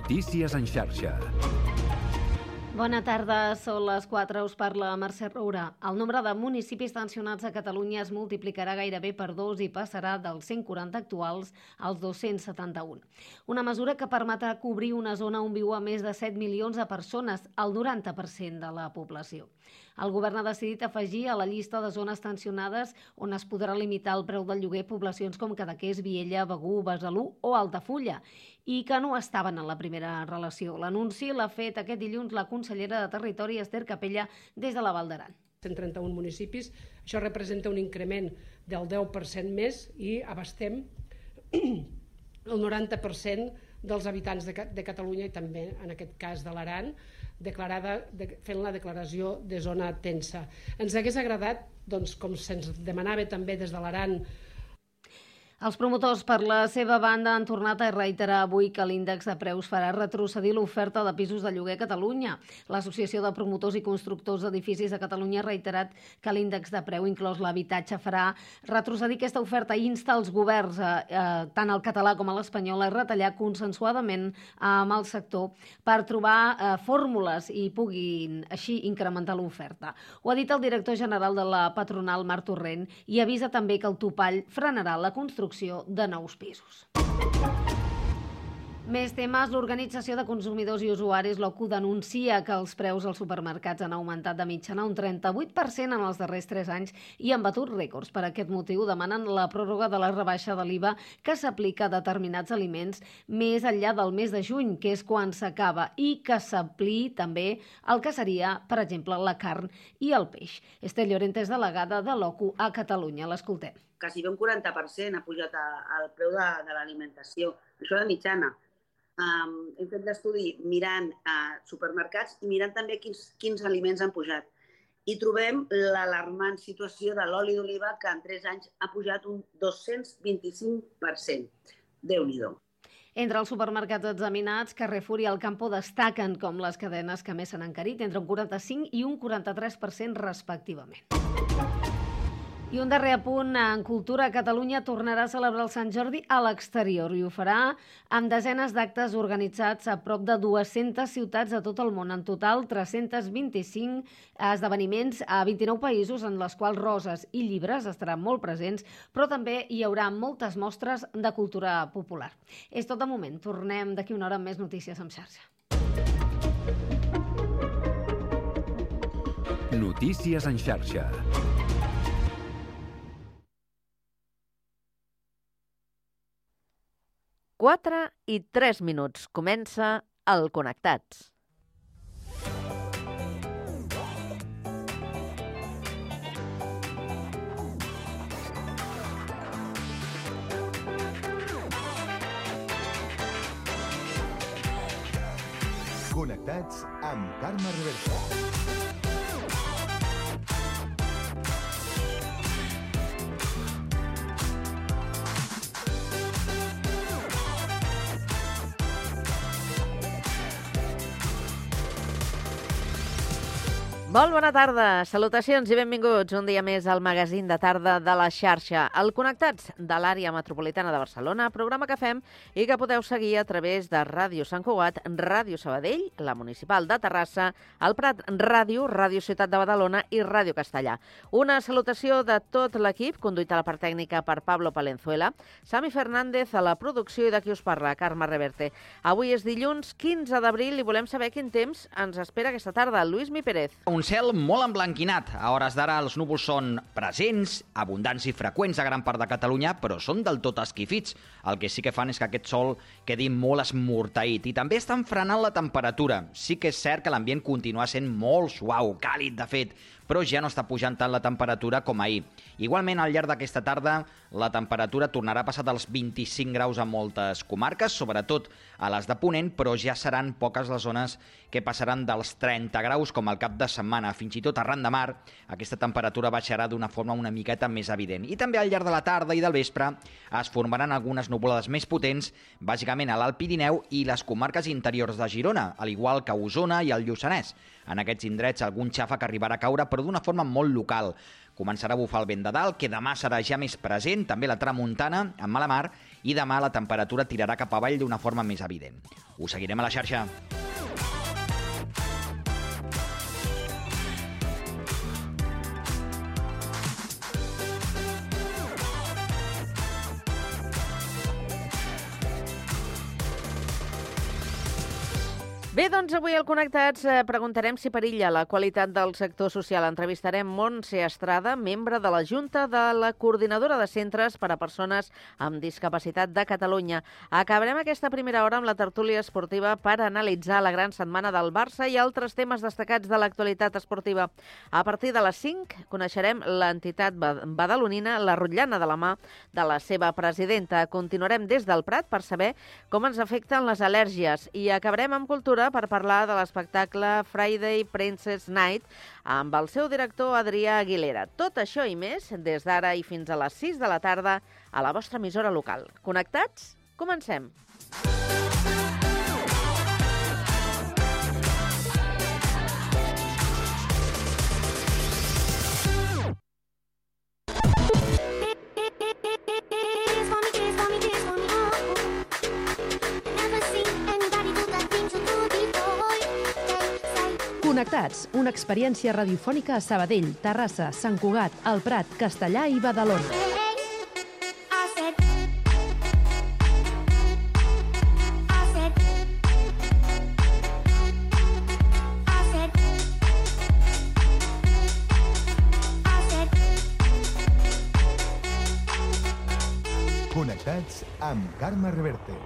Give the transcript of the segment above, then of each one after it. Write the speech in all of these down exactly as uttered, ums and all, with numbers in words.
Notícies en xarxa. Bona tarda, són les quatre, us parla Mercè Roura. El nombre de municipis tensionats a Catalunya es multiplicarà gairebé per dos i passarà dels cent quaranta actuals als dos-cents setanta-un. Una mesura que permetrà cobrir una zona on viuen més de set milions de persones, el noranta per cent de la població. El govern ha decidit afegir a la llista de zones tensionades on es podrà limitar el preu del lloguer poblacions com Cadaqués, Viella, Begur, Besalú o Altafulla, i que no estaven en la primera relació. L'anunci l'ha fet aquest dilluns la consellera de Territori, Ester Capella, des de la Val d'Aran. cent trenta-un municipis, això representa un increment del deu per cent més i abastem el noranta per cent dels habitants de, de Catalunya i també, en aquest cas, de l'Aran, declarada, de, fent la declaració de zona tensa. Ens hagués agradat, doncs, com se'ns demanava també des de l'Aran. Els promotors, per la seva banda, han tornat a reiterar avui que l'índex de preus farà retrocedir l'oferta de pisos de lloguer a Catalunya. L'Associació de Promotors i Constructors d'Edificis de Catalunya ha reiterat que l'índex de preu, inclòs l'habitatge, farà retrocedir aquesta oferta i insta els governs, eh, tant el català com l'espanyol, a retallar consensuadament amb el sector per trobar eh, fórmules i puguin així incrementar l'oferta. Ho ha dit el director general de la patronal, Marc Torrent, i avisa també que el topall frenarà la construcció de nous pisos. Més temes. L'Organització de Consumidors i Usuaris, l'O C U, denuncia que els preus als supermercats han augmentat de mitjana un trenta-vuit per cent en els darrers tres anys i han batut rècords. Per aquest motiu demanen la pròrroga de la rebaixa de l'I V A que s'aplica a determinats aliments més enllà del mes de juny, que és quan s'acaba, i que s'apliqui també el que seria, per exemple, la carn i el peix. Estel Llorente és delegada de l'O C U a Catalunya. L'escoltem. Quasi un quaranta per cent ha pujat el preu de, de l'alimentació. Això de mitjana. Um, hem fet l'estudi mirant uh, supermercats i mirant també quins, quins aliments han pujat. I trobem l'alarmant situació de l'oli d'oliva, que en tres anys ha pujat un dos-cents vint-i-cinc per cent. Déu-n'hi-do. Entre els supermercats examinats, Carrefour i Alcampo destaquen com les cadenes que més s'han encarit, entre un quaranta-cinc i un quaranta-tres per cent respectivament. I un darrer apunt, en cultura, Catalunya tornarà a celebrar el Sant Jordi a l'exterior i ho farà amb desenes d'actes organitzats a prop de dues-centes ciutats de tot el món. En total, tres-cents vint-i-cinc esdeveniments a vint-i-nou països, en les quals roses i llibres estaran molt presents, però també hi haurà moltes mostres de cultura popular. És tot de moment. Tornem d'aquí una hora amb més notícies en xarxa. Notícies en xarxa. quatre i tres minuts. Comença el Connectats. Connectats amb Carme Reverte. Molt bona tarda, salutacions i benvinguts un dia més al magazín de tarda de la xarxa, el Connectats de l'àrea metropolitana de Barcelona, programa que fem i que podeu seguir a través de Ràdio Sant Cugat, Ràdio Sabadell, la Municipal de Terrassa, el Prat Ràdio, Ràdio Ciutat de Badalona i Ràdio Castellà. Una salutació de tot l'equip, conduït a la part tècnica per Pablo Palenzuela, Sami Fernández a la producció i de qui us parla, Carme Reverte. Avui és dilluns quinze d'abril i volem saber quin temps ens espera aquesta tarda. Lluís Mi Pérez. Un cel molt emblanquinat. A hores d'ara els núvols són presents, abundants i freqüents a gran part de Catalunya, però són del tot esquifits. El que sí que fan és que aquest sol quedi molt esmorteït i també estan frenant la temperatura. Sí que és cert que l'ambient continua sent molt suau, càlid de fet, però ja no està pujant tant la temperatura com ahir. Igualment, al llarg d'aquesta tarda, la temperatura tornarà a passar dels vint-i-cinc graus a moltes comarques, sobretot a les de Ponent, però ja seran poques les zones que passaran dels trenta graus, com al cap de setmana. Fins i tot arran de mar, aquesta temperatura baixarà d'una forma una miqueta més evident. I també al llarg de la tarda i del vespre es formaran algunes nuvolades més potents, bàsicament a l'Alt Pirineu i les comarques interiors de Girona, al igual que Osona i el Lluçanès. En aquests indrets algun xàfec arribarà a caure, però d'una forma molt local. Començarà a bufar el vent de dalt, que demà serà ja més present, també la tramuntana, amb mala mar, i demà la temperatura tirarà cap avall d'una forma més evident. Us seguirem a la xarxa. Bé, doncs avui al Connectats eh, preguntarem si perilla la qualitat del sector social. Entrevistarem Montse Estrada, membre de la Junta de la Coordinadora de Centres per a Persones amb Discapacitat de Catalunya. Acabarem aquesta primera hora amb la tertúlia esportiva per analitzar la gran setmana del Barça i altres temes destacats de l'actualitat esportiva. A partir de les cinc coneixerem l'entitat badalonina, la Rotllana, de la mà de la seva presidenta. Continuarem des del Prat per saber com ens afecten les al·lèrgies i acabarem amb cultura per parlar de l'espectacle Friday Princess Night amb el seu director Adrià Aguilera. Tot això i més des d'ara i fins a les sis de la tarda a la vostra emissora local. Connectats? Comencem! Connectats, una experiència radiofònica a Sabadell, Terrassa, Sant Cugat, El Prat, Castellà i Badalona. Connectats amb Carme Reverte.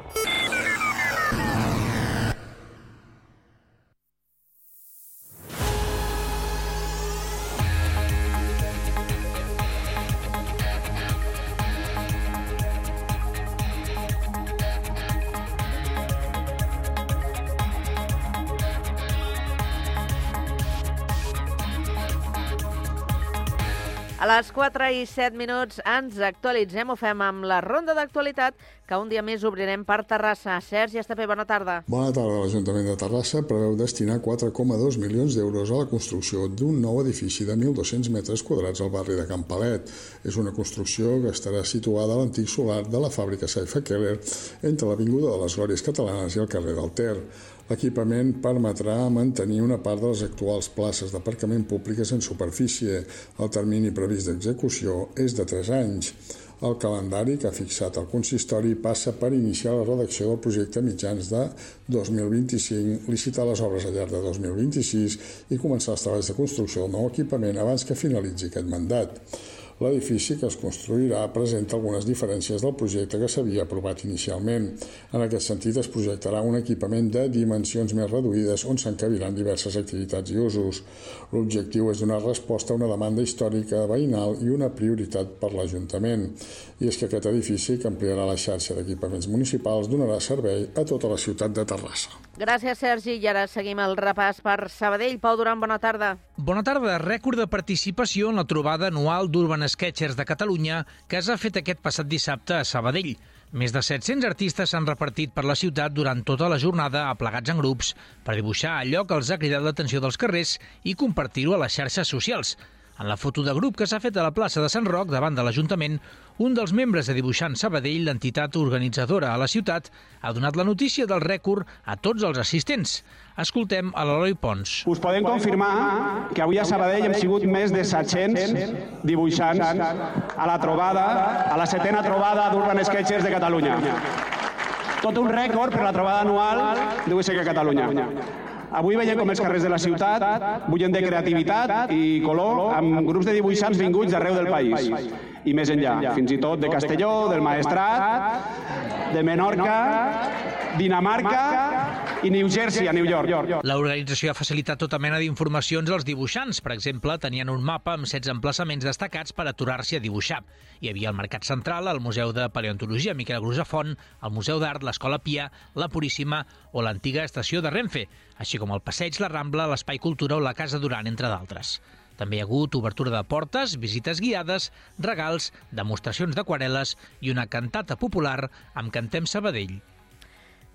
A les quatre i set minuts ens actualitzem, ho fem amb la ronda d'actualitat que un dia més obrirem per Terrassa. Sergi Estapé, bona tarda. Bona tarda. L'Ajuntament de Terrassa preveu destinar quatre coma dos milions d'euros a la construcció d'un nou edifici de mil dos-cents metres quadrats al barri de Can Palet. És una construcció que estarà situada a l'antic solar de la fàbrica Saifa Keller entre l'Avinguda de les Glòries Catalanes i el carrer del Ter. L'equipament permetrà mantenir una part de les actuals places d'aparcament públiques en superfície. El termini previst d'execució és de tres anys. El calendari que ha fixat el consistori passa per iniciar la redacció del projecte a mitjans de dos mil vint-i-cinc, licitar les obres al llarg de dos mil vint-i-sis i començar els treballs de construcció del nou equipament abans que finalitzi aquest mandat. L'edifici que es construirà presenta algunes diferències del projecte que s'havia aprovat inicialment. En aquest sentit, es projectarà un equipament de dimensions més reduïdes on s'encabiran diverses activitats i usos. L'objectiu és donar resposta a una demanda històrica veïnal i una prioritat per l'Ajuntament. I és que aquest edifici, que ampliarà la xarxa d'equipaments municipals, donarà servei a tota la ciutat de Terrassa. Gràcies, Sergi. I ara seguim el repàs per Sabadell. Pau Duran, bona tarda. Bona tarda. Rècord de participació en la trobada anual d'Urban Sketchers de Catalunya que s'ha fet aquest passat dissabte a Sabadell. Més de set-cents artistes s'han repartit per la ciutat durant tota la jornada aplegats en grups per dibuixar allò que els ha cridat l'atenció dels carrers i compartir-ho a les xarxes socials. En la foto de grup que s'ha fet a la plaça de Sant Roc davant de l'Ajuntament, un dels membres de Dibuixants Sabadell, l'entitat organitzadora a la ciutat, ha donat la notícia del rècord a tots els assistents. Escoltem a l'Eloi Pons. Us podem confirmar que avui a Sabadell hem sigut més de set-cents dibuixants a la trobada, a la setena trobada d'Urban Sketchers de Catalunya. Tot un rècord per la trobada anual d'U S C a Catalunya. Avui veiem com els carrers de la ciutat bullen de creativitat i color amb grups de dibuixants vinguts d'arreu del país. I més enllà, fins i tot de Castelló, del Maestrat, de Menorca, Dinamarca i New Jersey, a New York. L'organització ha facilitat tota mena d'informacions als dibuixants. Per exemple, tenien un mapa amb setze emplaçaments destacats per aturar-s'hi a dibuixar. Hi havia el Mercat Central, el Museu de Paleontologia Miquel Grusafont, el Museu d'Art, l'Escola Pia, la Puríssima o l'antiga estació de Renfe, així com el Passeig, la Rambla, l'Espai Cultura o la Casa Duran, entre d'altres. També hi ha hagut obertura de portes, visites guiades, regals, demostracions d'aquarel·les i una cantata popular amb Cantem Sabadell.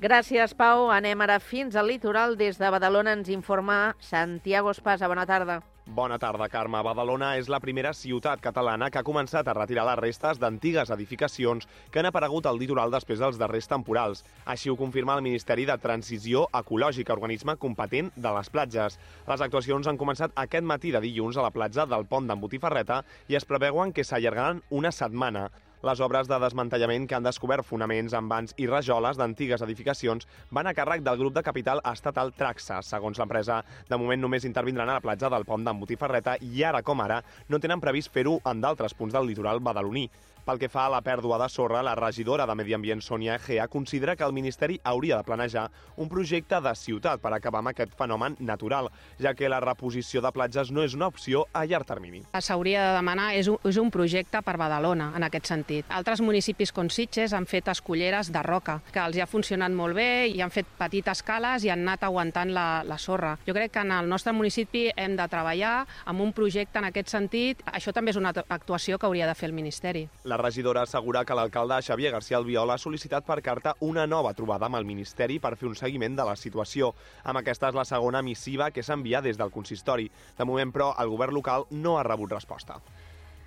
Gràcies, Pau. Anem ara fins al litoral. Des de Badalona ens informa Santiago Espasa. Bona tarda. Bona tarda, Carme. Badalona és la primera ciutat catalana que ha començat a retirar les restes d'antigues edificacions que han aparegut al litoral després dels darrers temporals. Així ho confirma el Ministeri de Transició Ecològica, organisme competent de les platges. Les actuacions han començat aquest matí de dilluns a la platja del Pont d'en Botifarreta i es preveuen que s'allargaran una setmana. Les obres de desmantellament que han descobert fonaments, envans i rajoles d'antigues edificacions van a càrrec del grup de capital estatal Traxa. Segons l'empresa, de moment només intervindran a la platja del Pont d'en Botifarreta i ara com ara no tenen previst fer-ho en d'altres punts del litoral badaloní. Pel que fa a la pèrdua de sorra, la regidora de Medi Ambient, Sònia Egea, considera que el Ministeri hauria de planejar un projecte de ciutat per acabar amb aquest fenomen natural, ja que la reposició de platges no és una opció a llarg termini. S'hauria de demanar és un, és un projecte per Badalona, en aquest sentit. Altres municipis com Sitges han fet esculleres de roca, que els ha funcionat molt bé i han fet petites cales i han anat aguantant la, la sorra. Jo crec que en el nostre municipi hem de treballar amb un projecte en aquest sentit. Això també és una actuació que hauria de fer el Ministeri. La regidora assegura que l'alcalde Xavier García Albiol ha sol·licitat per carta una nova trobada amb el Ministeri per fer un seguiment de la situació. Amb aquesta és la segona missiva que s'envia des del consistori. De moment, però, el govern local no ha rebut resposta.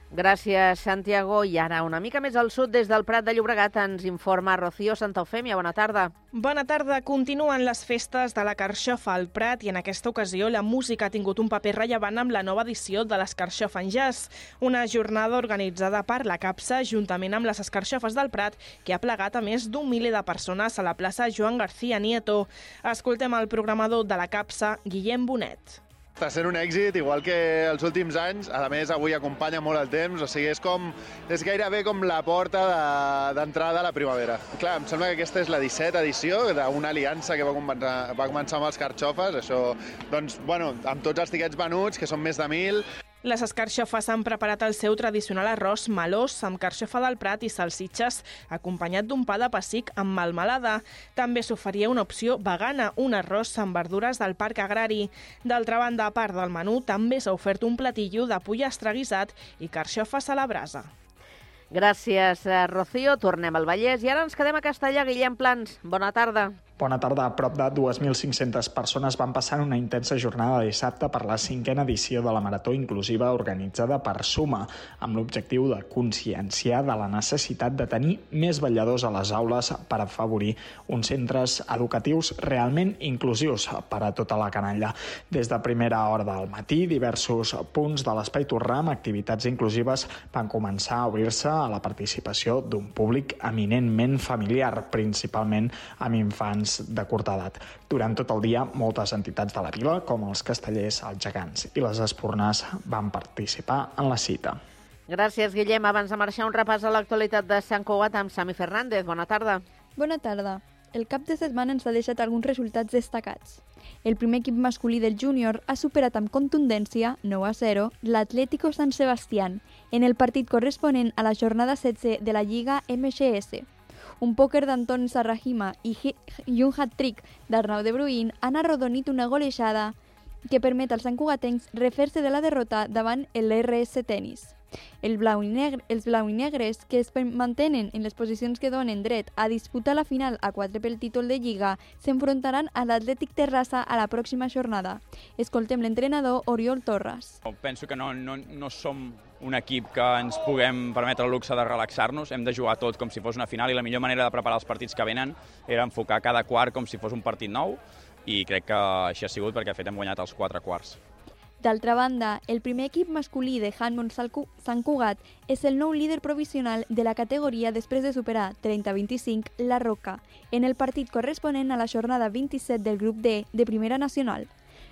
Gràcies, Santiago. I ara, una mica més al sud, des del Prat de Llobregat, ens informa Rocío Santa Eufèmia. Bona tarda. Bona tarda. Continuen les festes de la Carxofa al Prat i en aquesta ocasió la música ha tingut un paper rellevant amb la nova edició de l'Escarxofa en Jazz, una jornada organitzada per la CAPSA juntament amb les Escarxofes del Prat que ha plegat a més d'un miler de persones a la plaça Joan García Nieto. Escoltem el programador de la CAPSA, Guillem Bonet. Està sent un èxit, igual que els últims anys. A més, avui acompanya molt el temps, o sigui, és com és gairebé com la porta d'entrada de, a la primavera. Clar, em sembla que aquesta és la dissetena edició d'una aliança que va començar, va començar amb els Carxofes. Això, doncs, bueno, amb tots els tiquets venuts, que són més de mil. Les escarxofes han preparat el seu tradicional arròs melós amb carxofa del Prat i salsitxes, acompanyat d'un pa de pessic amb melmelada. També s'oferia una opció vegana, un arròs amb verdures del Parc Agrari. D'altra banda, a part del menú, també s'ha ofert un platillo de pollastre guisat i carxofes a la brasa. Gràcies, Rocío. Tornem al Vallès i ara ens quedem a Castellà. Guillem Plans, bona tarda. Bona tarda. A prop de dues mil cinc-centes persones van passar una intensa jornada de dissabte per la cinquena edició de la Marató Inclusiva organitzada per Suma, amb l'objectiu de conscienciar de la necessitat de tenir més vetlladors a les aules per afavorir uns centres educatius realment inclusius per a tota la canalla. Des de primera hora del matí, diversos punts de l'Espai Torrà amb activitats inclusives van començar a obrir-se a la participació d'un públic eminentment familiar, principalment amb infants de curta edat. Durant tot el dia, moltes entitats de la vila, com els Castellers, els Gegants i les Espurnars, van participar en la cita. Gràcies, Guillem. Abans de marxar, un repàs a l'actualitat de Sant Cugat amb Sami Fernández. Bona tarda. Bona tarda. El cap de setmana ens ha deixat alguns resultats destacats. El primer equip masculí del júnior ha superat amb contundència, nou a zero, l'Atlético San Sebastián, en el partit corresponent a la jornada setze de la Lliga M X S. Un pòquer d'Antoni Sarrahima i, i un hat-trick d'Arnau de Bruin han arrodonit una golejada que permet als santcugatencs refer-se de la derrota davant el R S Tenis. El blau i negre, els blau i negres, que es mantenen en les posicions que donen dret a disputar la final a quatre pel títol de Lliga, s'enfrontaran a l'Atlètic Terrassa a la pròxima jornada. Escoltem l'entrenador Oriol Torres. Penso que no, no, no som un equip que ens puguem permetre el luxe de relaxar-nos. Hem de jugar tot com si fos una final i la millor manera de preparar els partits que venen era enfocar cada quart com si fos un partit nou i crec que així ha sigut perquè de fet hem guanyat els quatre quarts. D'altra banda, el primer equip masculí de handball Sant Cugat és el nou líder provisional de la categoria després de superar trenta a vint-i-cinc la Roca, en el partit corresponent a la jornada vint-i-set del grup D de Primera Nacional.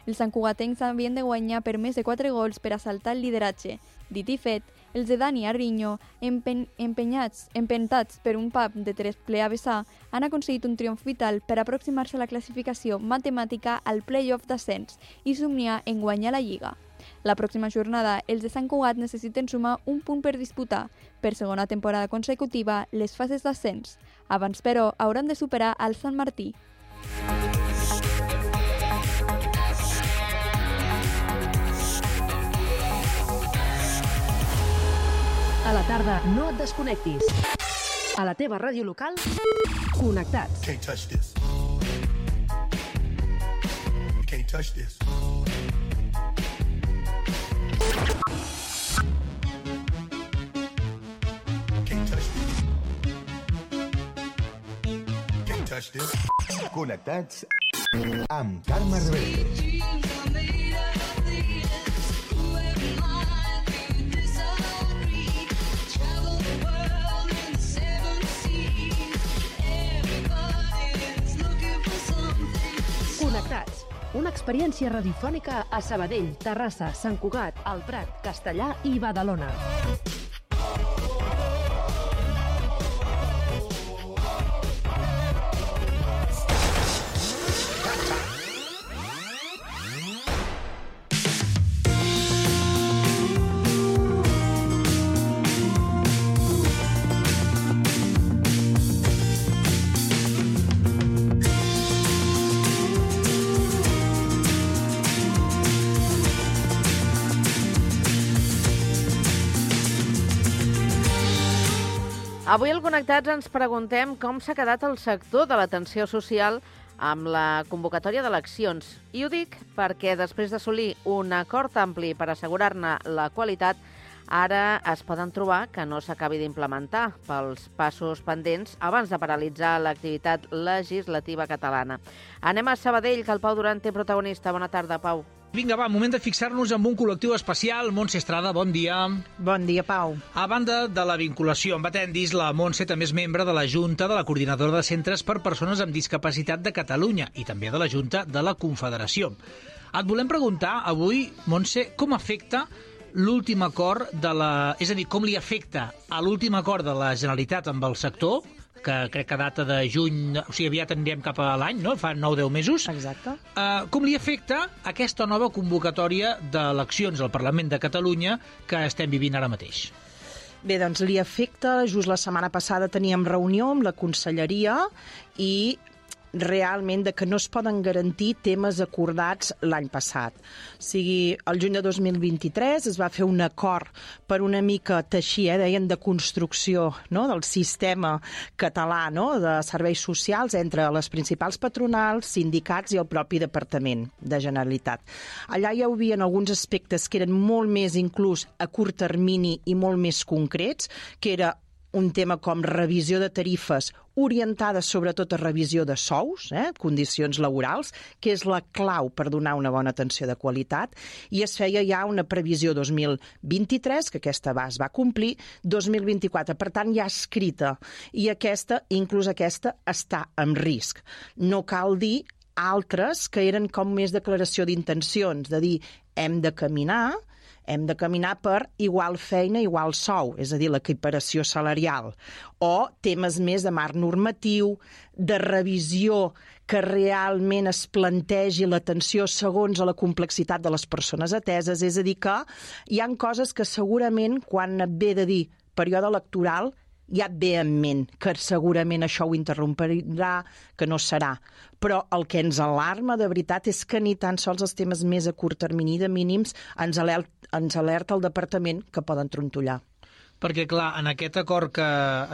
Els santcugatencs havien de guanyar per més de quatre gols per assaltar el lideratge. Dit i fet, els de Dani Arriño, empen empenyats, empentats per un pub de tres ple a vessar, han aconseguit un triomf vital per aproximar-se a la classificació matemàtica al play-off d'ascens i somniar en guanyar la Lliga. La pròxima jornada, els de Sant Cugat necessiten sumar un punt per disputar, per segona temporada consecutiva, les fases d'ascens. Abans, però, hauran de superar el Sant Martí. A la tarda, no et desconnectis. A la teva ràdio local, connectats. Can't touch this. You can't touch this. Connectats amb Carme Reverte. Connectats. Una experiència radiofònica a Sabadell, Terrassa, Sant Cugat, El Prat, Castellà i Badalona. Avui al Connectats ens preguntem com s'ha quedat el sector de l'atenció social amb la convocatòria d'eleccions. I ho dic perquè després d'assolir un acord ampli per assegurar-ne la qualitat, ara es poden trobar que no s'acabi d'implementar pels passos pendents abans de paralitzar l'activitat legislativa catalana. Anem a Sabadell, que el Pau Duran té protagonista. Bona tarda, Pau. Vinga, va, moment de fixar-nos en un col·lectiu especial. Montse Estrada, bon dia. Bon dia, Pau. A banda de la vinculació amb Atendis, la Montse també és membre de la Junta de la Coordinadora de Centres per Persones amb Discapacitat de Catalunya i també de la Junta de la Confederació. Et volem preguntar avui, Montse, com afecta l'últim acord de la... És a dir, com li afecta a l'últim acord de la Generalitat amb el sector, que crec que data de juny, o sigui, aviat anirem cap a l'any, no? Fa nou o deu mesos. Exacte. Uh, com li afecta aquesta nova convocatòria d'eleccions al Parlament de Catalunya que estem vivint ara mateix? Bé, doncs li afecta, just la setmana passada teníem reunió amb la conselleria i realment de que no es poden garantir temes acordats l'any passat. O sigui, el juny de dos mil vint-i-tres es va fer un acord per una mica teixir, eh, deien, de construcció, no?, del sistema català, no?, de serveis socials entre les principals patronals, sindicats i el propi Departament de Generalitat. Allà hi havia alguns aspectes que eren molt més inclús a curt termini i molt més concrets, que era un tema com revisió de tarifes orientada sobretot a revisió de sous, eh, condicions laborals, que és la clau per donar una bona atenció de qualitat, i es feia ja una previsió dos mil vint-i-tres, que aquesta va, es va complir, dos mil vint-i-quatre, per tant ja escrita, i aquesta, inclús aquesta, està en risc. No cal dir altres que eren com més declaració d'intencions, de dir, hem de caminar, hem de caminar per igual feina, igual sou, és a dir, l'equiparació salarial, o temes més de marc normatiu, de revisió que realment es plantegi l'atenció segons a la complexitat de les persones ateses, és a dir, que hi ha coses que segurament, quan et ve de dir període electoral, ja et ve en ment que segurament això ho interromperà, que no serà. Però el que ens alarma de veritat és que ni tan sols els temes més a curt termini de mínims ens alerta, ens alerta el departament que poden trontollar. Perquè, clar, en aquest acord que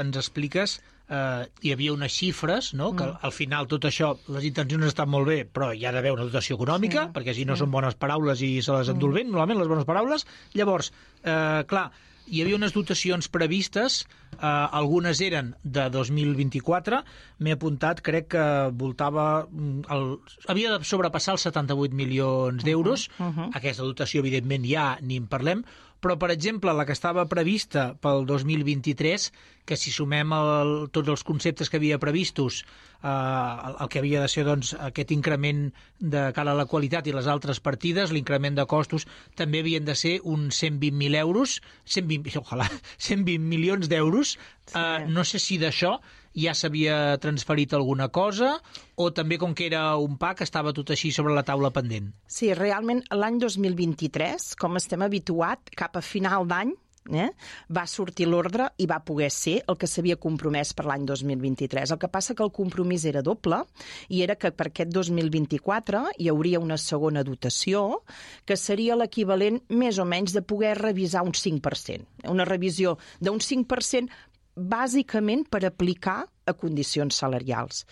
ens expliques eh, hi havia unes xifres, no?, que al final tot això, les intencions estan molt bé, però hi ha d'haver una dotació econòmica, sí, perquè si no sí. són bones paraules i se les endú el vent, normalment les bones paraules. Llavors, eh, clar, hi havia unes dotacions previstes, eh, algunes eren de dos mil vint-i-quatre, m'he apuntat, crec que voltava... El, havia de sobrepassar els setanta-vuit milions d'euros. Uh -huh, uh -huh. Aquesta dotació, evidentment, ja ni en parlem, però, per exemple, la que estava prevista pel dos mil vint-i-tres, que si sumem el, tots els conceptes que havia previstos, eh, el, el que havia de ser doncs, aquest increment de cara a la qualitat i les altres partides, l'increment de costos, també havien de ser uns cent vint mil euros, cent vint, ojalà, cent vint milions d'euros. Sí. Eh, no sé si d'això ja s'havia transferit alguna cosa o també, com que era un P A C, estava tot així sobre la taula pendent? Sí, realment l'any dos mil vint-i-tres, com estem habituat, cap a final d'any, eh, va sortir l'ordre i va poder ser el que s'havia compromès per l'any dos mil vint-i-tres. El que passa que el compromís era doble i era que per aquest dos mil vint-i-quatre hi hauria una segona dotació que seria l'equivalent més o menys de poder revisar un cinc per cent. Una revisió d'un cinc per cent bàsicament per aplicar a condicions salarials.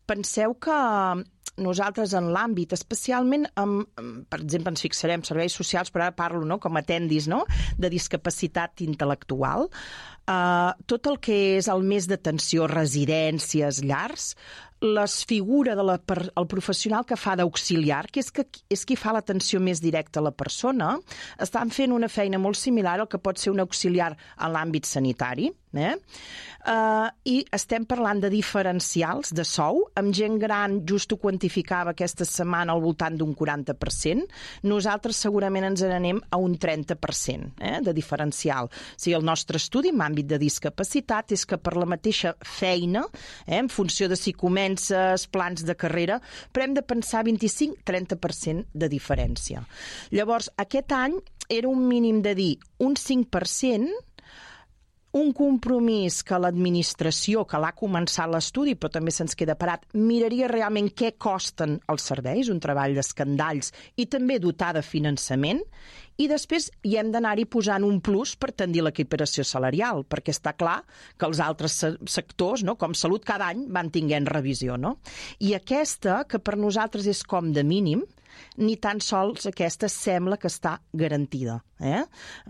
Penseu que nosaltres en l'àmbit, especialment, amb, per exemple, ens fixarem serveis socials, però ara parlo, no?, com a Atendis, no?, de discapacitat intel·lectual, Uh, tot el que és el més d'atenció, residències, llars, la figura del de professional que fa d'auxiliar, que és, que és qui fa l'atenció més directa a la persona, estan fent una feina molt similar al que pot ser un auxiliar en l'àmbit sanitari, eh? Uh, i estem parlant de diferencials de sou, amb gent gran, just ho quantificava aquesta setmana al voltant d'un quaranta per cent, nosaltres segurament ens n'anem a un trenta per cent eh, de diferencial. O sigui, el nostre estudi en àmbit de discapacitat és que per la mateixa feina, eh, en funció de si comences, plans de carrera, però hem de pensar vint-i-cinc a trenta per cent de diferència. Llavors, aquest any era un mínim de dir un cinc per cent, un compromís que l'administració, que l'ha començat l'estudi, però també se'ns queda parat, miraria realment què costen els serveis, un treball d'escandalls, i també dotar de finançament, i després hi hem d'anar-hi posant un plus per tendir l'equiparació salarial, perquè està clar que els altres sectors, no, com salut, cada any van tinguent revisió. No? I aquesta, que per nosaltres és com de mínim, ni tan sols aquesta sembla que està garantida. Eh?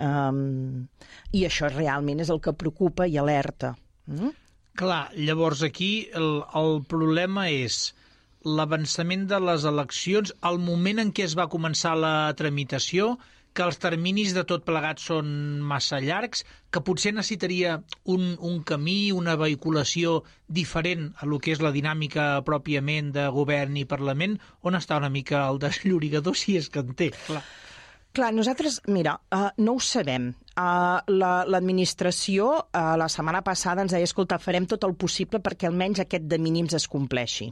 Um, I això realment és el que preocupa i alerta. Mm? Clar, llavors aquí el, el problema és l'avançament de les eleccions, el moment en què es va començar la tramitació, que els terminis de tot plegat són massa llargs, que potser necessitaria un, un camí, una vehiculació diferent a lo que és la dinàmica pròpiament de govern i Parlament, on està una mica el desllorigador, si és que en té, clar. Clar, nosaltres, mira, uh, no ho sabem. Uh, L'administració uh, la setmana passada ens deia, escolta, farem tot el possible perquè almenys aquest de mínims es compleixi.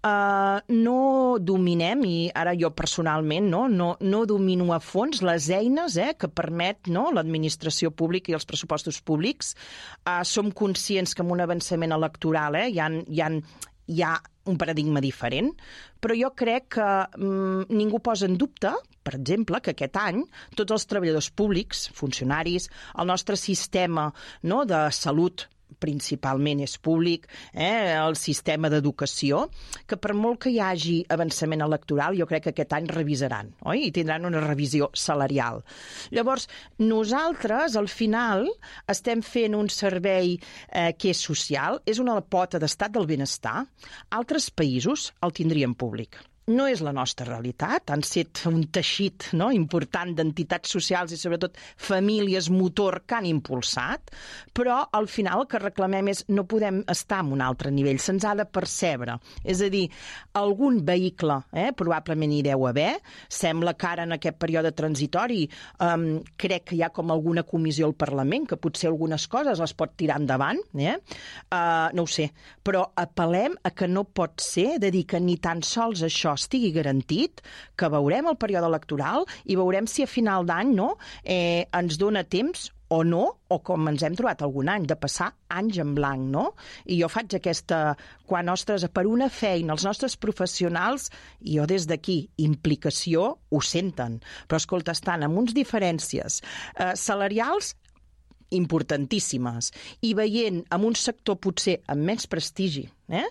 Uh, no dominem, i ara jo personalment no, no, no domino a fons les eines eh, que permet no, l'administració pública i els pressupostos públics. Uh, som conscients que amb un avançament electoral eh, hi ha, hi ha, hi ha un paradigma diferent, però jo crec que mm, ningú posa en dubte, per exemple, que aquest any tots els treballadors públics, funcionaris, el nostre sistema no, de salut principalment és públic, eh, el sistema d'educació, que per molt que hi hagi avançament electoral, jo crec que aquest any revisaran, oi? I tindran una revisió salarial. Llavors, nosaltres, al final, estem fent un servei eh, que és social, és una pota d'estat del benestar. Altres països el tindrien públic. No és la nostra realitat, han set un teixit no, important d'entitats socials i sobretot famílies motor que han impulsat, però al final el que reclamem és no podem estar en un altre nivell, se'ns ha de percebre. És a dir, algun vehicle eh, probablement hi deu haver, sembla que ara en aquest període transitori um, crec que hi ha com alguna comissió al Parlament que potser algunes coses les pot tirar endavant, eh? uh, no ho sé, però apel·lem a que no pot ser de dir que ni tan sols això estigui garantit, que veurem el període electoral i veurem si a final d'any no, eh, ens dona temps o no, o com ens hem trobat algun any, de passar anys en blanc, no? I jo faig aquesta, quan, ostres, per una feina, els nostres professionals, i jo des d'aquí, implicació, ho senten. Però, escolta, estan amb uns diferències eh, salarials importantíssimes, i veient en un sector potser amb més prestigi, eh?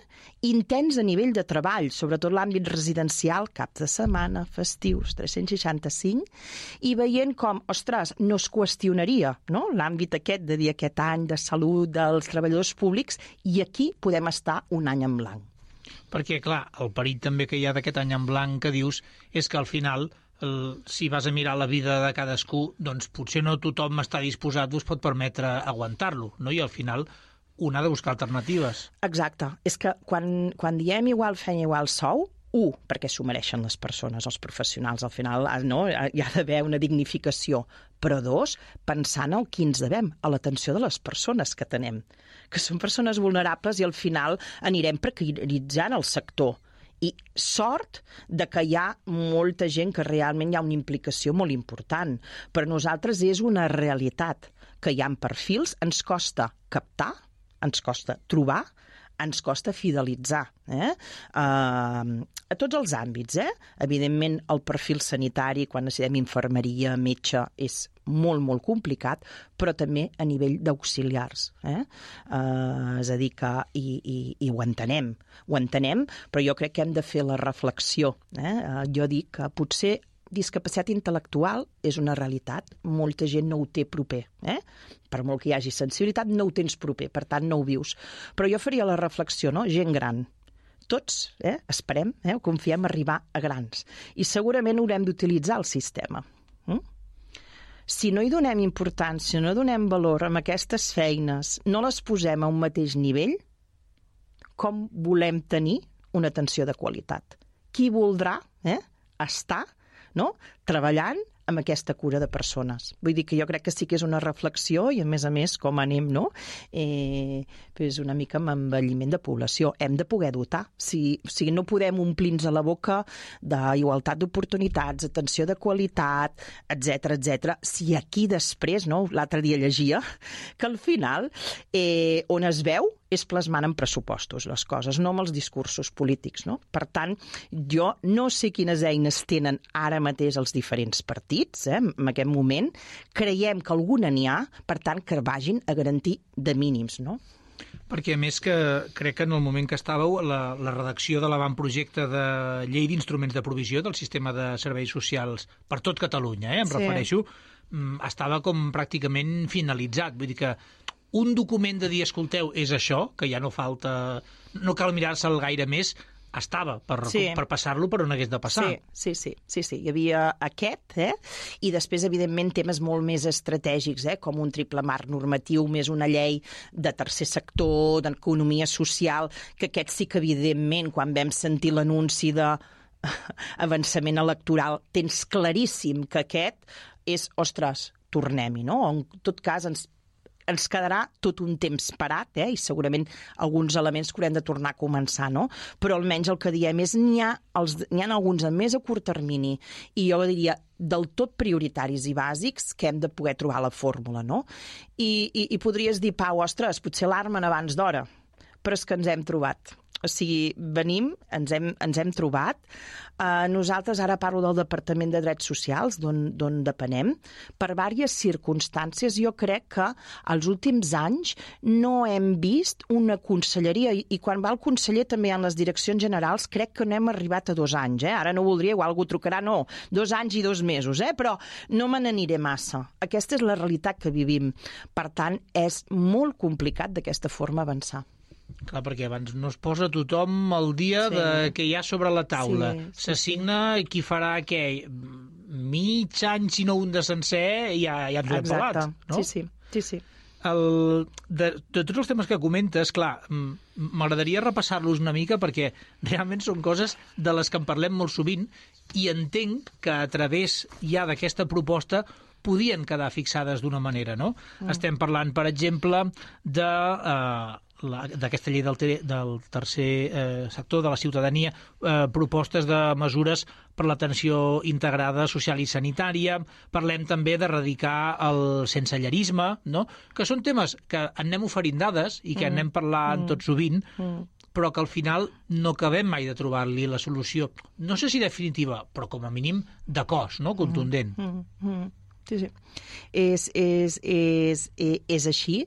intens a nivell de treball, sobretot l'àmbit residencial, caps de setmana, festius, tres-cents seixanta-cinc, i veient com, ostres, no es qüestionaria no? l'àmbit aquest de dir aquest any de salut dels treballadors públics, i aquí podem estar un any en blanc. Perquè, clar, el perill també que hi ha d'aquest any en blanc que dius és que al final el, si vas a mirar la vida de cadascú, doncs potser no tothom està disposat o es pot permetre aguantar-lo, no? I al final un ha de buscar alternatives. Exacte. És que quan, quan diem igual feina, igual sou, un, perquè s'ho mereixen les persones, els professionals, al final no? Hi ha d'haver una dignificació, però dos, pensant en qui ens devem, a l'atenció de les persones que tenem, que són persones vulnerables i al final anirem precaritzant el sector. I sort de que hi ha molta gent que realment hi ha una implicació molt important. Per nosaltres és una realitat que hi ha perfils, ens costa captar, ens costa trobar, ens costa fidelitzar. Eh? Uh, a tots els àmbits. Eh? Evidentment, el perfil sanitari, quan necessitem infermeria, metge, és molt, molt complicat, però també a nivell d'auxiliars. Eh? Uh, és a dir, que i, i, i ho entenem, ho entenem, però jo crec que hem de fer la reflexió. Eh? Uh, jo dic que potser discapacitat intel·lectual és una realitat. Molta gent no ho té proper. Eh? Per molt que hi hagi sensibilitat, no ho tens proper, per tant no ho vius. Però jo faria la reflexió, no? Gent gran. Tots eh, esperem, eh, confiem arribar a grans. I segurament haurem d'utilitzar el sistema. Mm? Si no hi donem importància, no donem valor a aquestes feines, no les posem a un mateix nivell, com volem tenir una atenció de qualitat? Qui voldrà eh, estar no, treballant amb aquesta cura de persones? Vull dir que jo crec que sí que és una reflexió i, a més a més, com anem, no? Eh, és una mica amb envelliment de població. Hem de poder dotar. Si, si no podem omplir-nos a la boca d'igualtat d'oportunitats, atenció de qualitat, etcètera, etcètera, si aquí després, no? L'altre dia llegia, que al final, eh, on es veu, és plasmant en pressupostos les coses, no amb els discursos polítics, no? Per tant, jo no sé quines eines tenen ara mateix els diferents partits, eh, en aquest moment. Creiem que alguna n'hi ha, per tant, que vagin a garantir de mínims, no? Perquè, a més, que crec que en el moment que estàveu, la, la redacció de l'avantprojecte de llei d'instruments de provisió del sistema de serveis socials per tot Catalunya, eh, em sí. refereixo, estava com pràcticament finalitzat. Vull dir que un document de dir, escolteu, és això, que ja no falta, no cal mirar-se'l gaire més, estava per, sí. per passar-lo per on hagués de passar. Sí, sí, sí, sí, sí. Hi havia aquest, eh? I després, evidentment, temes molt més estratègics, eh? Com un triple marc normatiu, més una llei de tercer sector, d'economia social, que aquest sí que, evidentment, quan vam sentir l'anunci de avançament electoral, tens claríssim que aquest és, ostres, tornem-hi, no? En tot cas, ens ens quedarà tot un temps parat, eh? I segurament alguns elements que haurem de tornar a començar, no? Però almenys el que diem és n'hi ha, els, n'hi ha alguns a més a curt termini i jo diria del tot prioritaris i bàsics que hem de poder trobar la fórmula, no? I, i, i podries dir, Pau, ostres, potser l'armen abans d'hora, però és que ens hem trobat. O sigui, venim, ens hem, ens hem trobat. Uh, nosaltres, ara parlo del Departament de Drets Socials, d'on depenem, per diverses circumstàncies. Jo crec que els últims anys no hem vist una conselleria, i, i quan va el conseller també en les direccions generals, crec que no hem arribat a dos anys. Eh? Ara no voldria, igual algú trucarà, no, dos anys i dos mesos, eh? Però no me n'aniré massa. Aquesta és la realitat que vivim. Per tant, és molt complicat d'aquesta forma avançar. Clar, perquè abans no es posa tothom al dia sí. de què hi ha sobre la taula. Sí, S'assigna sí. qui farà què? Mig any, si no un de sencer, ja, ja ens ho hem pelat. No? Sí, sí. sí, sí. El, de, de tots els temes que comentes, clar, m'agradaria repassar-los una mica perquè realment són coses de les que en parlem molt sovint i entenc que a través ja d'aquesta proposta podien quedar fixades d'una manera, no? Mm. Estem parlant, per exemple, de... Eh, d'aquesta llei del, ter del tercer eh, sector de la ciutadania, eh, propostes de mesures per l'atenció integrada social i sanitària. Parlem també d'erradicar el sensellerisme, no? Que són temes que anem oferint dades i que mm. anem parlant mm. tot sovint, mm. però que al final no acabem mai de trobar-li la solució. No sé si definitiva, però com a mínim de cos, no? Contundent. Mm. Mm. Sí, sí. És, és, és, és així.